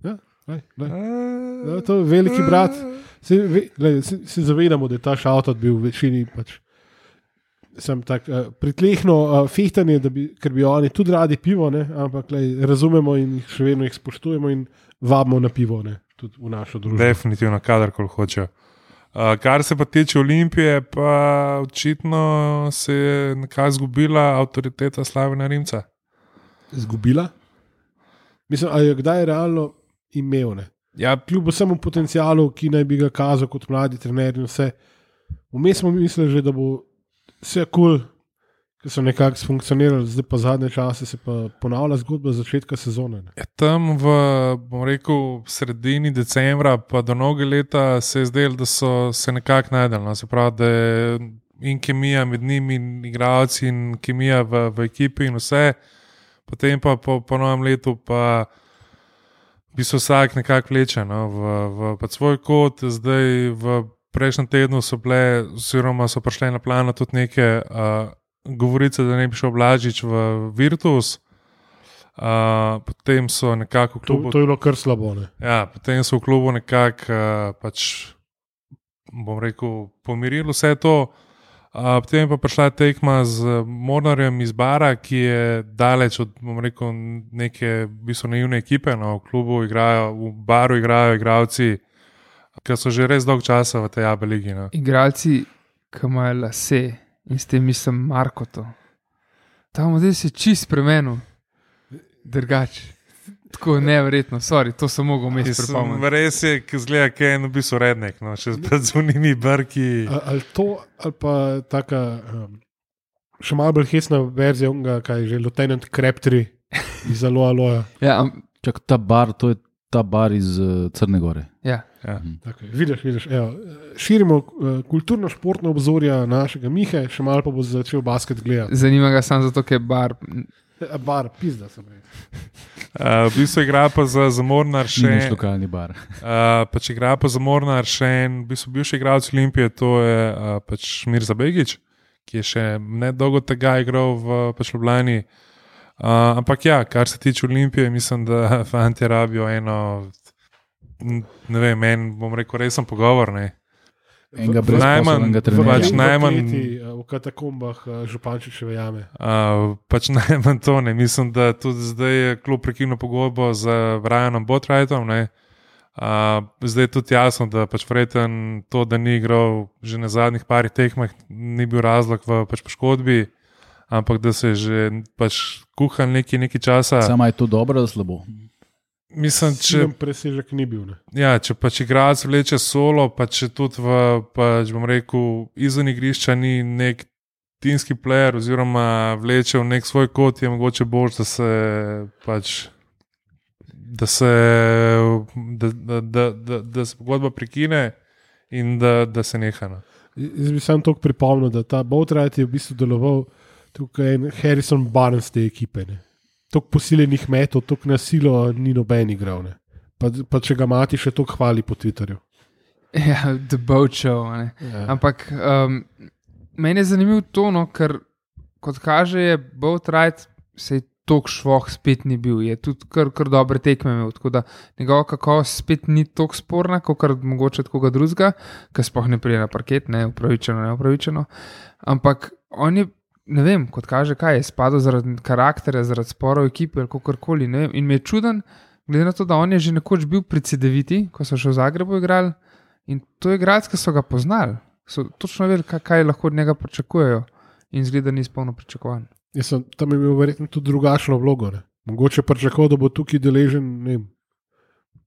Ja, lej, lej. Ja, to je veliki brat. Se, ve, lej, se, se zavedamo, da je ta šavtot bil v večini pač, sem tak, uh, pritlehno uh, fehtanje, da bi, ker bi oni tudi radi pivo, ne, ampak lej, razumemo in jih še vedno jih spoštujemo in vabimo na pivo, ne, tudi v našo družbo. Definitivno, kadarkoli hočejo. Uh, kar se pa tiče Olimpije, pa očitno se je nekaj izgubila avtoriteta Slavena Rimca. Zgubila? Mislim, ali je kdaj realno imel, ne? Ja, Kljub vsemu potencialu, ki naj bi ga kazal kot mladi trener in vse. Vmes smo mislili že, da bo vse kul, cool, ki so nekako funkcionirali, zdaj pa zadnje čase se pa ponavlja zgodba začetka sezone. Ne? ja, tam v, bom rekel, sredini decembra, pa do mnoge leta se je zdelo, da so se nekako najdel. No? Se pravi, da je in kemija med njimi, in igralci, in kemija v, v ekipi in vse. Potem pa po, po novem letu pa bi se vsak nekako vleče no, v, v pač svoj kot. Zdaj v prejšnjem tednu so bile, oziroma so prišle na plano tudi neke uh, govorice, da ne bi šel Blažič v Virtus. Uh, potem so nekako v To, klubu. to je bilo kar slabo. Ne? Ja, potem so v klubu nekako uh, pač, bom rekel, pomirili vse to. Uh, potem je pa prišla tekma z Mornarjem iz Bara, ki je daleč od, bom rekel, neke v bistvu naivne ekipe. No, v klubu igrajo, v Baru igrajo igralci, ki so že res dolg časa v tej Aba ligi. No. Igralci, ki imajo lase in s tem mislim Markoto. Ta model se je čist spremenil, drugače. Tako neverjetno, sorry, to sem mogel vmes Mislim, pripomniti. res je, ki zgleda, kaj je v bistvu rednek, no, še z zunimi brki. A- Ali to, ali pa taka um, še malo bolj hesna verzija, onega, kaj je že Lieutenant Crabtree iz Aloha Aloha. Ja, am, Čak, ta bar, to je ta bar iz uh, Crne Gore. ja. Ja. Tako je. Vidiš, vidiš, evo, širimo uh, kulturno-športno obzorja našega Mihe, še malo pa bo začel basket gledati. Zanima ga samo zato, ker je bar. A bar, pizda sem rekel. Uh, v bistvu igra pa za, za Mornar Še še naš lokalni bar. Uh, pač igra pa za Mornar še en, v bistvu bivši igralec Olimpije, to je uh, pač Mirza Begić, ki je še nedolgo tega igral v pač Ljubljani. Uh, ampak ja, kar se tiče Olimpije, mislim, da fanti rabijo eno, ne vem, en, bom rekel, resen pogovor. Ne. Enega V- v- brezposelnega v- trenerja. pač v najmanj- kleti, uh, v katakombah uh, Župančičeve jame. Uh, pač najmanj to ne. Mislim, da tudi zdaj je klub prekinil pogodbo z Brianom Botwrightom. Uh, zdaj je tudi jasno, da pač vreten to, da ni igral že na zadnjih parih tekmah, ni bil razlog v pač poškodbi. ampak da se že pač kuha nekaj, nekaj časa. Samo je to dobro ali slabo? Mislim, če, presežek ni bil. Ne? Ja, če pač igralec vleče solo, pa če tudi v, pač bom rekel, izven igrišča ni nek timski player oziroma vleče v nek svoj kot, je mogoče bolj, da se pač da se da, da, da, da, da se pogodba prekine in da, da se neha. No. Jaz bi sam toliko pripomnil, da ta Boatwright je v bistvu deloval tukaj en Harrison Barnes te ekipe. Ne? Tok posiljenih metod, tok nasilo ni noben igral. Pa, pa če ga mati, še tok hvali po Twitterju. Ja, The Boat Show. Ja. Ampak um, meni je zanimivo to, no, ker kot kaže, je Boatwright se je tok švoh spet ni bil. Je tudi kar, kar dobre tekme imel, tako da njegova kakovost spet ni tok sporna, kot kar mogoče od koga drugega, ker sploh ne prije na parket, ne upravičeno, ne upravičeno. Ampak on je ne vem, kot kaže, kaj je spadal zaradi karakterja, zaradi sporov ekipe ali kakorkoli. In mi je čuden, glede na to, da on je že nekoč bil pri C D V T, ko so še v Zagrebu igrali in to je igralec, ki so ga poznali. So točno vedeli, kaj, kaj lahko od njega pričakujejo in zgleda ni izpolno pričakovan. Jaz sem tam imel verjetno tudi drugačno vlogo. Ne? Mogoče pričakoval, da bo tukaj deležen ne vem,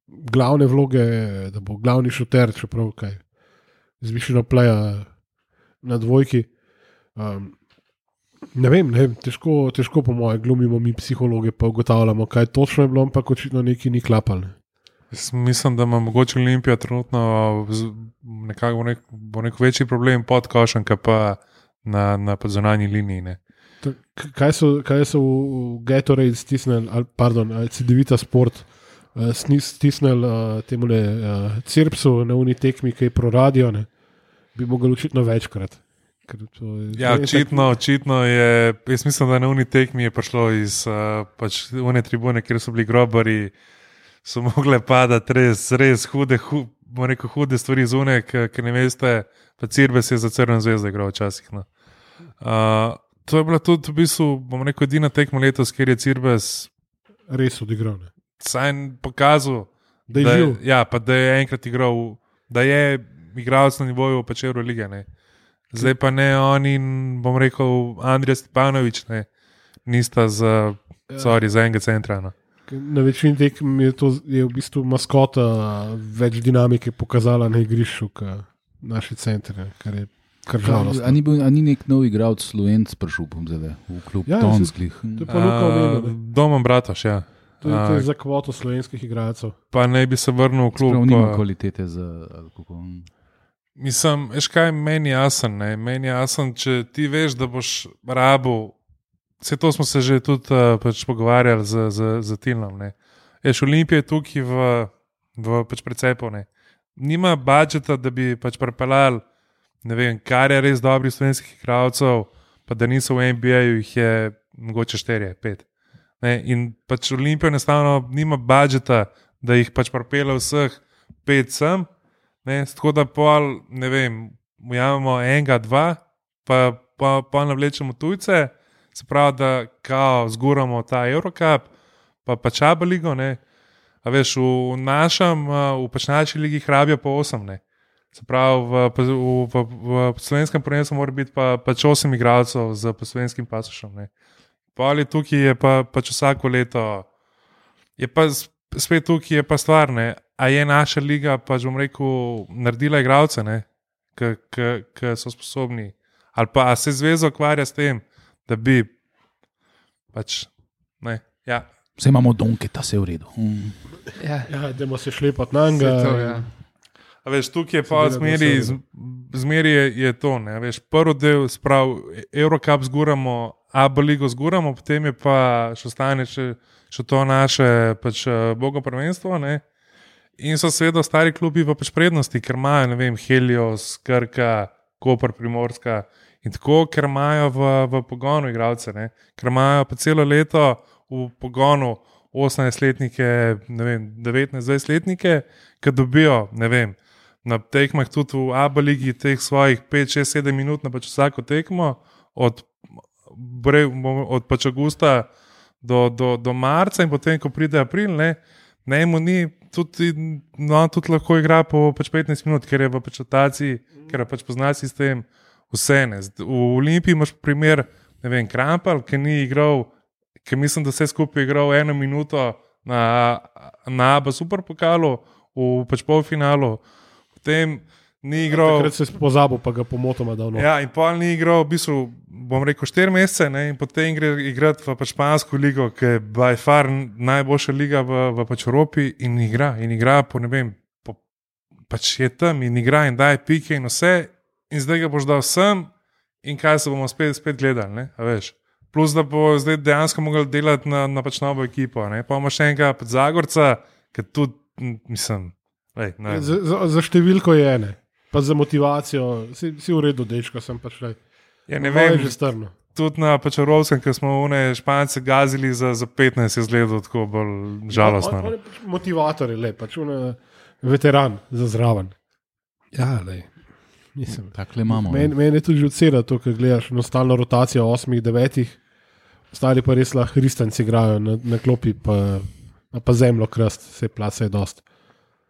glavne vloge, da bo glavni šuter, čeprav kaj, zvišeno pleja na dvojki. Um, Ne vem, ne vem težko, težko po moje glumimo mi psihologe, pa ugotavljamo, kaj točno je bilo, ampak očitno nekaj ni klapalo. Jaz mislim, da ima mogoče Olimpija trenutno nekako nek, bo nek večji problem pod košem, kaj pa na, na podzunanji liniji. Ne. Kaj so, kaj so v Gatorade stisnili, pardon, C D V T Sport stisnili uh, temule uh, Cirpsu na uni tekmi, ki je pro radio, ne, bi mogli očitno večkrat. Ja, očitno, očitno je, jaz mislim, da na uni tekmi je prišlo iz uh, pač une tribune, kjer so bili grobari, so mogle padati res, res hude, hu, rekel, hude stvari z une, ker ne veste, pa Cirbes je za Crveno zvezdo igral včasih. No. Uh, to je bila tudi v bistvu, bom rekel, edina tekma letos, kjer je Cirbes res odigral. Ne? Saj pokazal, da je živ. Ja, pa da je enkrat igral, da je igralec na nivoju pač Eurolige, ne. Zdaj pa ne on in, bom rekel, Andrija Stepanovič, ne, nista za, sorry, za enega centra. No. Na večini tekem je to je v bistvu maskota več dinamike pokazala na igrišču, kot naši centri, kar je kar žalostno. A ni, bil, a ni nek nov igralec Slovenc prišel zdaj, v klub ja, Tonskih? To je pa Luka omenil. Domom Bratoš, ja. To je, to je za kvoto slovenskih igralcev. Pa naj bi se vrnil v klub. Sprav nima kvalitete za alkohol. Mislim, veš kaj, meni je jasen, ne? Meni je jasen, če ti veš, da boš rabil, vse to smo se že tudi uh, pač pogovarjali z, z, z Tilnom, ne. Veš, Olimpija je tukaj v, v pač precepov, ne. Nima budžeta, da bi pač prepeljal, ne vem, kar je res dobrih slovenskih igralcev, pa da niso v N B A-ju, jih je mogoče štiri, pet. Ne? In pač Olimpija enostavno nima budžeta, da jih pač prepelje vseh pet sem, ne? Tako da pol, ne vem, ujamemo enega, dva, pa, pa, pa navlečemo tujce, se pravi, da kao zguramo ta Eurocup, pa pač Aba ligo, ne. A veš, v našem, v pač naši ligi hrabijo po osem, ne. Se pravi, v, v, v, v slovenskem prvenstvu mora biti pa, pač osem igralcev z slovenskim pasošem, ne. Pa ali tukaj je pa pač vsako leto, je pa spet tukaj je pa stvar, ne. A je naša liga, pač bom rekel, naredila igralce, ne, ki so sposobni, ali pa a se zveza ukvarja s tem, da bi pač, ne, ja. Vse imamo Donketa, vse je v redu. Mm. Ja, Ja, idemo se šlepati na njega. to, ja. A veš, tukaj je pa zmeri, zmeri je, je to, ne, a veš, prvi del, sprav, Eurocup zguramo, Aba ligo zguramo, potem je pa še ostane še, še to naše pač bogo prvenstvo, ne, in so seveda stari klubi v pač prednosti, ker imajo, ne vem, Helios, Krka, Koper, Primorska in tako, ker imajo v, v pogonu igralce, ne, ker imajo pa celo leto v pogonu osemnajstletnike, ne vem, devetnajst-dvajsetletnike, ki dobijo, ne vem, na tekmah tudi v Aba ligi teh svojih pet, šest, sedem minut na pač vsako tekmo, od, od pač augusta do, do, do marca in potem, ko pride april, ne, ne mu ni, tudi, no, tudi lahko igra po pač petnajst minut, ker je v pač rotaciji, ker je pač pozna sistem vse, ne. V Olimpiji imaš primer ne vem, Krampal, ki ni igral, ki mislim, da vse skupaj igral eno minuto na, na Aba Super pokalu v pač polfinalu, potem ni igral. Takrat se je pozabil, pa ga pomotoma dal. Ja, in pol ni igral, v bistvu, bom rekel, štiri mesece, ne, in potem gre igrati v pač špansko ligo, ki je by far najboljša liga v, v pač Evropi in igra, in igra po, ne vem, po, pač je tam in igra in daje pike in vse, in zdaj ga boš dal sem in kaj se bomo spet, spet gledali, ne, a veš. Plus, da bo zdaj dejansko mogel delati na, na pač novo ekipo, ne, pa ima še enega pač Zagorca, ki tudi, mislim, lej, ne. Za, za, za številko je ene. Pa za motivacijo, si, si v redu, dečko, sem pač le. Ja, ne vem, že strno. Tudi na pač Evropskem, ker smo one Špance gazili za, za petnajst, je izgledal tako bolj žalostno. On, on je pač motivator, je le, pač on je veteran za zraven. Ja, le. Mislim. Takle imamo. Meni men je tudi že odseda to, ker gledaš na stalno rotacijo osmih, devetih, ostali pa res lahko hristanci igrajo na, na klopi, pa, pa zemljo krast, se place je dost.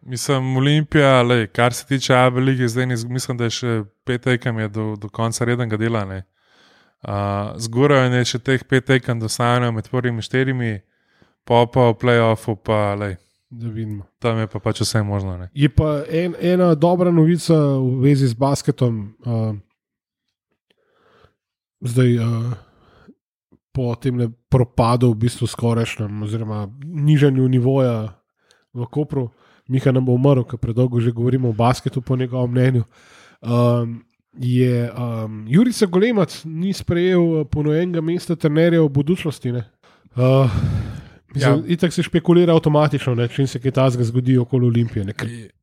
Mislim, Olimpija, lej, kar se tiče A B lige, zdaj ne, mislim, da je še pet tekem je do, do konca rednega dela. Uh, Zgoraj je še teh pet tekem, da ostanejo med prvimi štirimi, pa pa v play-offu, pa lej, da vidimo. Tam je pa pač vse možno. Ne. Je pa en, ena dobra novica v vezi z basketom. Uh, zdaj, uh, po tem propadu, v bistvu skorajšnjem, oziroma nižanju nivoja v Kopru, Miha nam bo umrl, ker predolgo že govorimo o basketu, po njegovem mnenju. Um, je um, Jurica Golemac ni sprejel ponujenega mesta trenerja v budućnosti. Uh, mislim, ja. Itak se špekulira avtomatično, ne, če se kaj takega zgodi okoli Olimpije. Ne,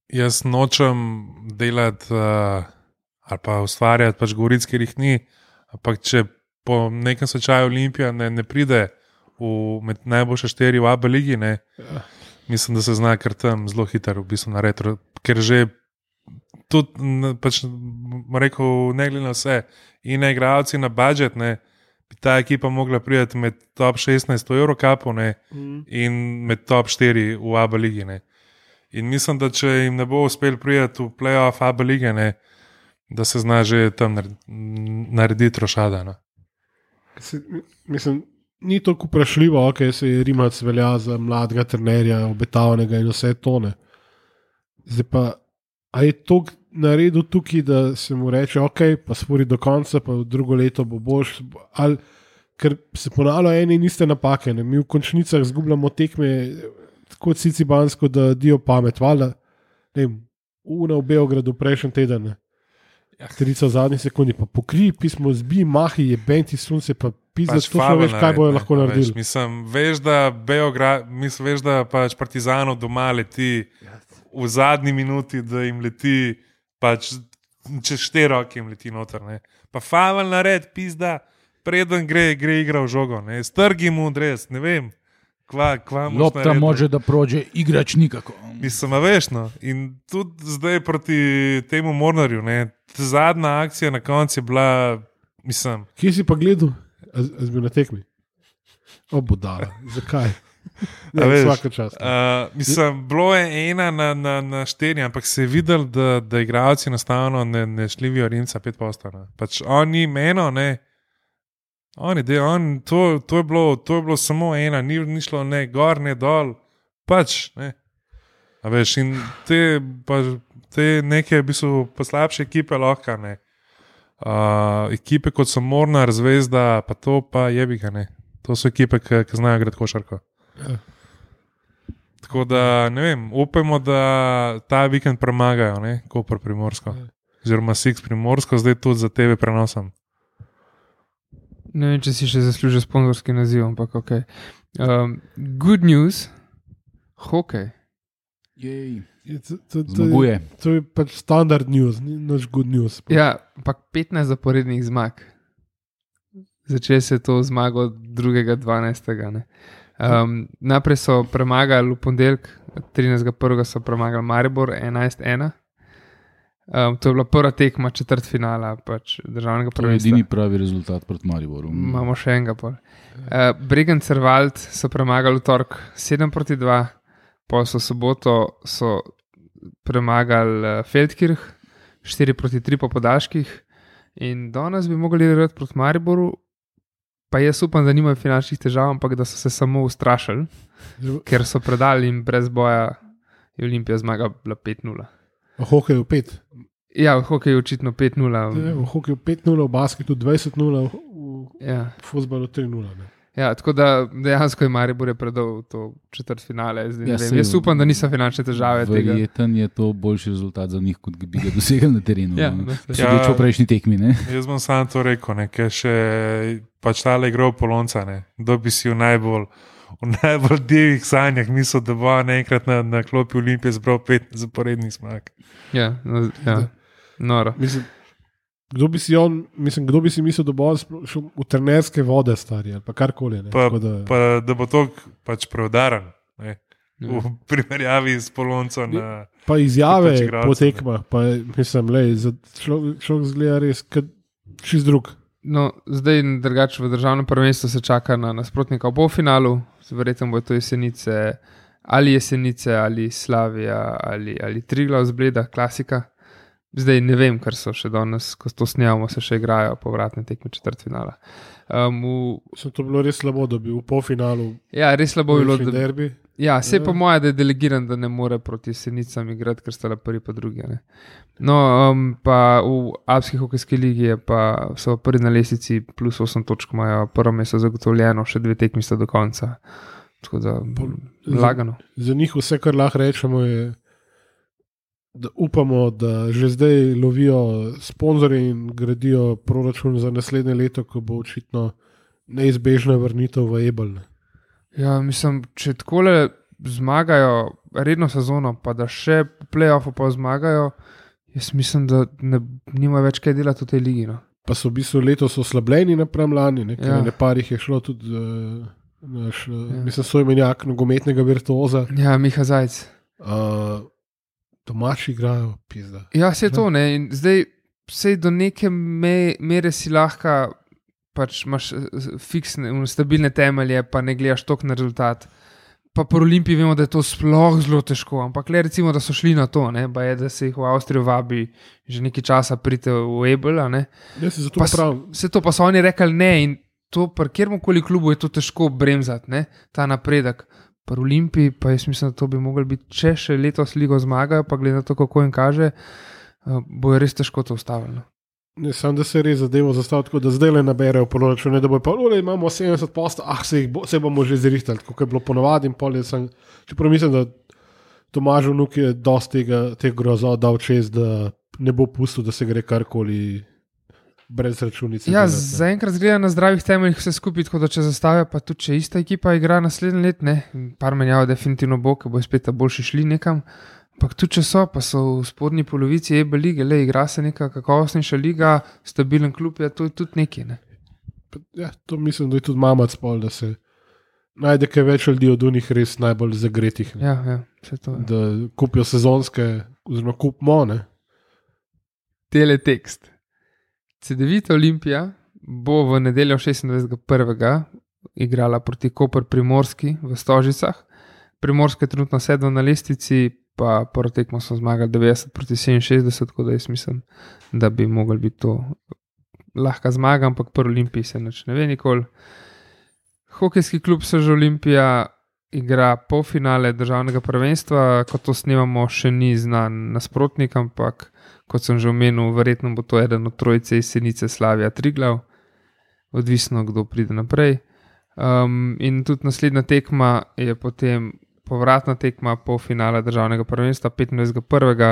jaz nočem delati uh, ali pa ustvarjati pač govoric, ker jih ni, ampak če po nekem slučaju Olimpija ne, ne pride v, med najboljše štiri v A B ligi, ne, ja. Mislim, da se zna kar tam zelo hitro, v bistvu na retro, ker že tudi, pač, rekel, ne glede na vse, in na igralci na budžet, ne, bi ta ekipa mogla priti med top šestnajst v Eurocupu, ne, mm. in med top štiri v A B ligi, ne. In mislim, da če jim ne bo uspel priti v play-off A B lige, ne, da se zna že tam narediti rošada. No. Mislim, ni toliko vprašljivo, ok, se je Rimac velja za mladega trenerja, obetavnega in vse tone. Zdaj pa, a je to naredil tukaj, da se mu reče, ok, pa spori do konca, pa v drugo leto bo boš, ali, ker se ponavljajo ene in iste napake, ne? Mi v končnicah zgubljamo tekme tako cicibansko, da dio pamet, valjda, ne vem, una v Beogradu prejšnji teden, ne? Trica v zadnji sekundi, pa pokri, pismo zbi, mahi, je benti sunce, pa pizda, to še veš, kaj bojo lahko naredili. Mislim, veš, da Beograd, mislim, veš, da pač Partizanov doma leti v zadnji minuti, da jim leti, pač čez štiri roke jim leti noter, ne. Pa favel nared, pizda, preden gre, gre igra v žogo, ne. Strgi mu dres, ne vem. Kva, kva Lopta može da prođe, igrač nikako. Mislim, veš, no. In tudi zdaj proti temu Mornarju, ne, zadnja akcija na koncu je bila, mislim... Kje si pa gledal? A, a zbil na tekmi? O, budala, zakaj? Ne, veš, vsaka čast. Uh, mislim, bilo je ena na, na, na štiri, ampak se je videl, da, da igralci enostavno ne, ne šlivijo Rimca pet posto. Pač oni meno, ne, Oni, de, on, to, to, je bilo, to je bilo samo ena, ni, ni šlo ne gor, ne dol, pač. Ne. A veš, in te, pa, te neke v bistvu slabše ekipe lahko, ne. Uh, ekipe kot so Mornar, Zvezda, pa to pa jebiga, ne. To so ekipe, ki znajo igrati košarko. Ja. Tako da, ne vem, upajmo, da ta vikend premagajo, ne, Koper Primorsko. Ja. Oziroma Six Primorsko, zdaj tudi za T V prenosom. Ne vem, če si še zaslužil sponzorski naziv, ampak ok. Um, good news, hokej. Jej, to, to, to, zmaguje. To, to je pač standard news, ni naš good news. Ja, ampak petnajst zaporednih zmag. Začel se je to zmago drugega dvanajstega. Um, naprej so premagali v ponedeljek, trinajstega prvega so premagali Maribor enajst ena. Um, to je bila prva tekma četrtfinala pač državnega prvenstva. To je edini pravi rezultat proti Mariboru. Imamo še enega pol. Uh, Bregenz-Servald so premagali v torek sedem proti dva, pa so soboto so premagali uh, Feldkirch štiri proti tri po podaljških in danes bi mogli igrati proti Mariboru, pa jaz upam, da nimajo finančnih težav, ampak da so se samo ustrašili, ker so predali in brez boja je Olimpija zmagala pet nula. V hokeju pet. Ja, v hokeju očitno pet nula. V hokeju pet nula, v basketu dvajset nula, v ja. fuzbalu tri nula. Ne. Ja, tako da dejansko je Maribor predal to četrtfinale. Ja, Jaz upam, da niso finančne težave tega. Verjeten je to boljši rezultat za njih, kot bi ga dosegli na terenu. Ja, no. no, Sodeč po prejšnji tekmi. Ne? Jaz bom samo to rekel, ne, ker še pač tale igro Polonca, ne, kdo bi si v najbolj, v najbolj divjih sanjah mislil, da bo naenkrat na, na klopi Olimpije zbral pet zaporednih zmag. Ja, no, ja. Noro. Mislim, kdo bi si on, mislim, kdo bi si mislil, da bo šel v trenerske vode, stari, ali pa karkoli. Ne, pa, da... pa da bo to pač preudaren, ne, ja. V primerjavi s Polonco na... Pa izjave pač po tekmah, pa mislim, lej, za človek, človek zgleda res, kad čist drug. No, zdaj drugače v državnem prvenstvu se čaka na nasprotnika v polfinalu, verjetno bo to Jesenice, ali Jesenice, ali Slavija, ali, ali Triglav z Bleda, klasika. Zdaj ne vem, ker so še danes, ko to snemamo, se še igrajo povratne tekme četrtfinala. Um, v... To bilo res slabo, da bi v polfinalu. Ja, res slabo bilo, da derbi. Ja, se pa moja, da je delegiran, da ne more proti Jesenicam igrati, ker sta le prvi pa drugi. Ne? No, um, pa v Alpski hokejski ligi je pa so prvi na lestvici plus osem točk, imajo prvo mesto zagotovljeno, še dve tekmi sta do konca. Tako da lagano. Za, za njih vse, kar lahko rečemo, je, da upamo, da že zdaj lovijo sponzorje in gradijo proračun za naslednje leto, ko bo očitno neizbežna vrnitev v Ebel. Ja, mislim, če takole zmagajo redno sezono, pa da še v play-offu pa zmagajo, jaz mislim, da ne, nima več kaj delati v tej ligi. No. Pa so v bistvu letos oslabljeni napram lani, ker Ja. na parih je šlo tudi uh, naš, uh, ja. mislim, soimenjak nogometnega virtuoza. Ja, Miha Zajc. Uh, domači igrajo, pizda. Ja, se je to, ne. In zdaj, vsej do neke me, mere si lahko, pač imaš fiksne, stabilne temelje, pa ne gledaš toliko na rezultat. Pa po Olimpiji vemo, da je to sploh zelo težko, ampak le recimo, da so šli na to, ne, pa je, da se jih v Avstrijo vabi že nekaj časa prite v Ebel, ne. Ja, se zato Pa pravim. Vse to pa so oni rekli ne in to, pri kjerkoli klubu je to težko bremzati, ne, ta napredek. Pri Olimpiji pa jaz mislim, da to bi mogli biti, če še letos ligo zmagajo, pa glede na to, kako jim kaže, bo je res težko to ustavljeno. Ne, sam da se res zadevo zastavi tako, da zdaj le naberejo proračune, da bo pa, ole, imamo sedemdeset posto, ah, se, jih bo, se bomo že zrihtali, tako je bilo ponovadi in pol je sem, čeprav mislim, da Tomaž Vnuk je dosti tega, tega grozov dal čez, da ne bo pustil, da se gre karkoli brez računice. Ja, delati, zaenkrat zgleda na zdravih temeljih vse skupaj, tako da če zastavijo, pa tudi če ista ekipa igra naslednje let, ne, par menjav definitivno bo, ker bo spet ta boljši šli nekam, ampak tudi če so, pa so v spodnji polovici Ebel lige, le igra se neka kakovostnejša liga, stabilen klub je, to je tudi nekaj, ne. Ja, to mislim, da je tudi mamac pol, da se najde kaj več ljudi od unih res najbolj zagretih, ne. Ja, ja, vse to je. Da kupijo sezonske, oziroma kupimo, ne. Teletekst. Cedevita Olimpija bo v nedeljo šestindvajsetega prvega igrala proti Koper Primorski v Stožicah. Primorska je trenutno sedma na lestvici, pa prvo tekmo so zmagali devetdeset proti sedeminšestdeset, tako da jaz mislim, da bi mogli biti to lahka zmaga, ampak pri Olimpiji se nič ne ve nikoli. Hokejski klub Seža Olimpija igra polfinale državnega prvenstva, ko to snemamo, še ni znan nasprotnik, ampak kot sem že omenil, verjetno bo to eden od trojice Jesenice, Slavija, Triglav, odvisno, kdo pride naprej. Um, in tudi naslednja tekma je potem povratna tekma polfinala državnega prvenstva petindvajsetega prvega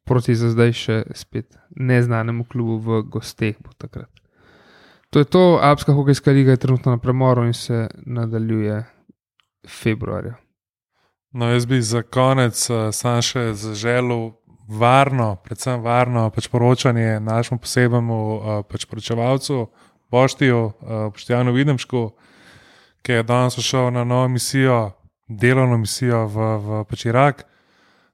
proti za zdaj še spet neznanemu klubu v gosteh bo takrat. To je to, Alpska hokejska liga je trenutno na premoru in se nadaljuje februarja. No, jaz bi za konec uh, sam še zaželil varno, predvsem varno pač poročanje našemu posebnemu uh, pač poročevalcu Boštiju, uh, Boštjanu Videmšku, ki je danes šel na novo misijo, delovno misijo v, v pač Irak.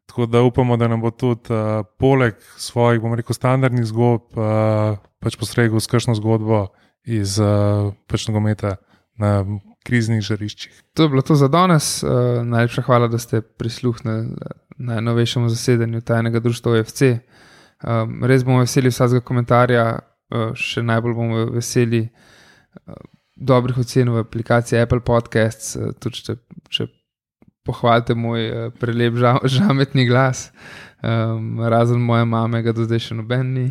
Tako da upamo, da nam bo tudi uh, poleg svojih, bom rekel, standardnih zgodb uh, pač postregel s kakšno zgodbo iz uh, pač nogometa na kriznih žariščih. To je bilo to za danes. Uh, najlepša hvala, da ste prisluhnili najnovejšemu zasedanju tajnega društva O F C. Um, res bomo veseli vsakega komentarja, uh, še najbolj bomo veseli uh, dobrih ocen v aplikaciji Apple Podcasts, tudi če, če pohvalite moj prelep ža, žametni glas, um, razen moje mame, ga do zdaj še noben ni.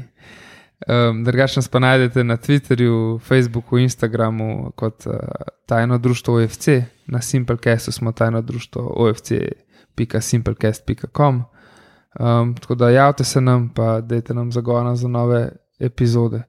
Um, Drugače nas pa najdete na Twitterju, Facebooku, Instagramu kot uh, Tajno društvo O F C, na Simplecastu smo tajno društvo o f c pika simplecast pika com. Um, tako da javite se nam, pa dajte nam zagona za nove epizode.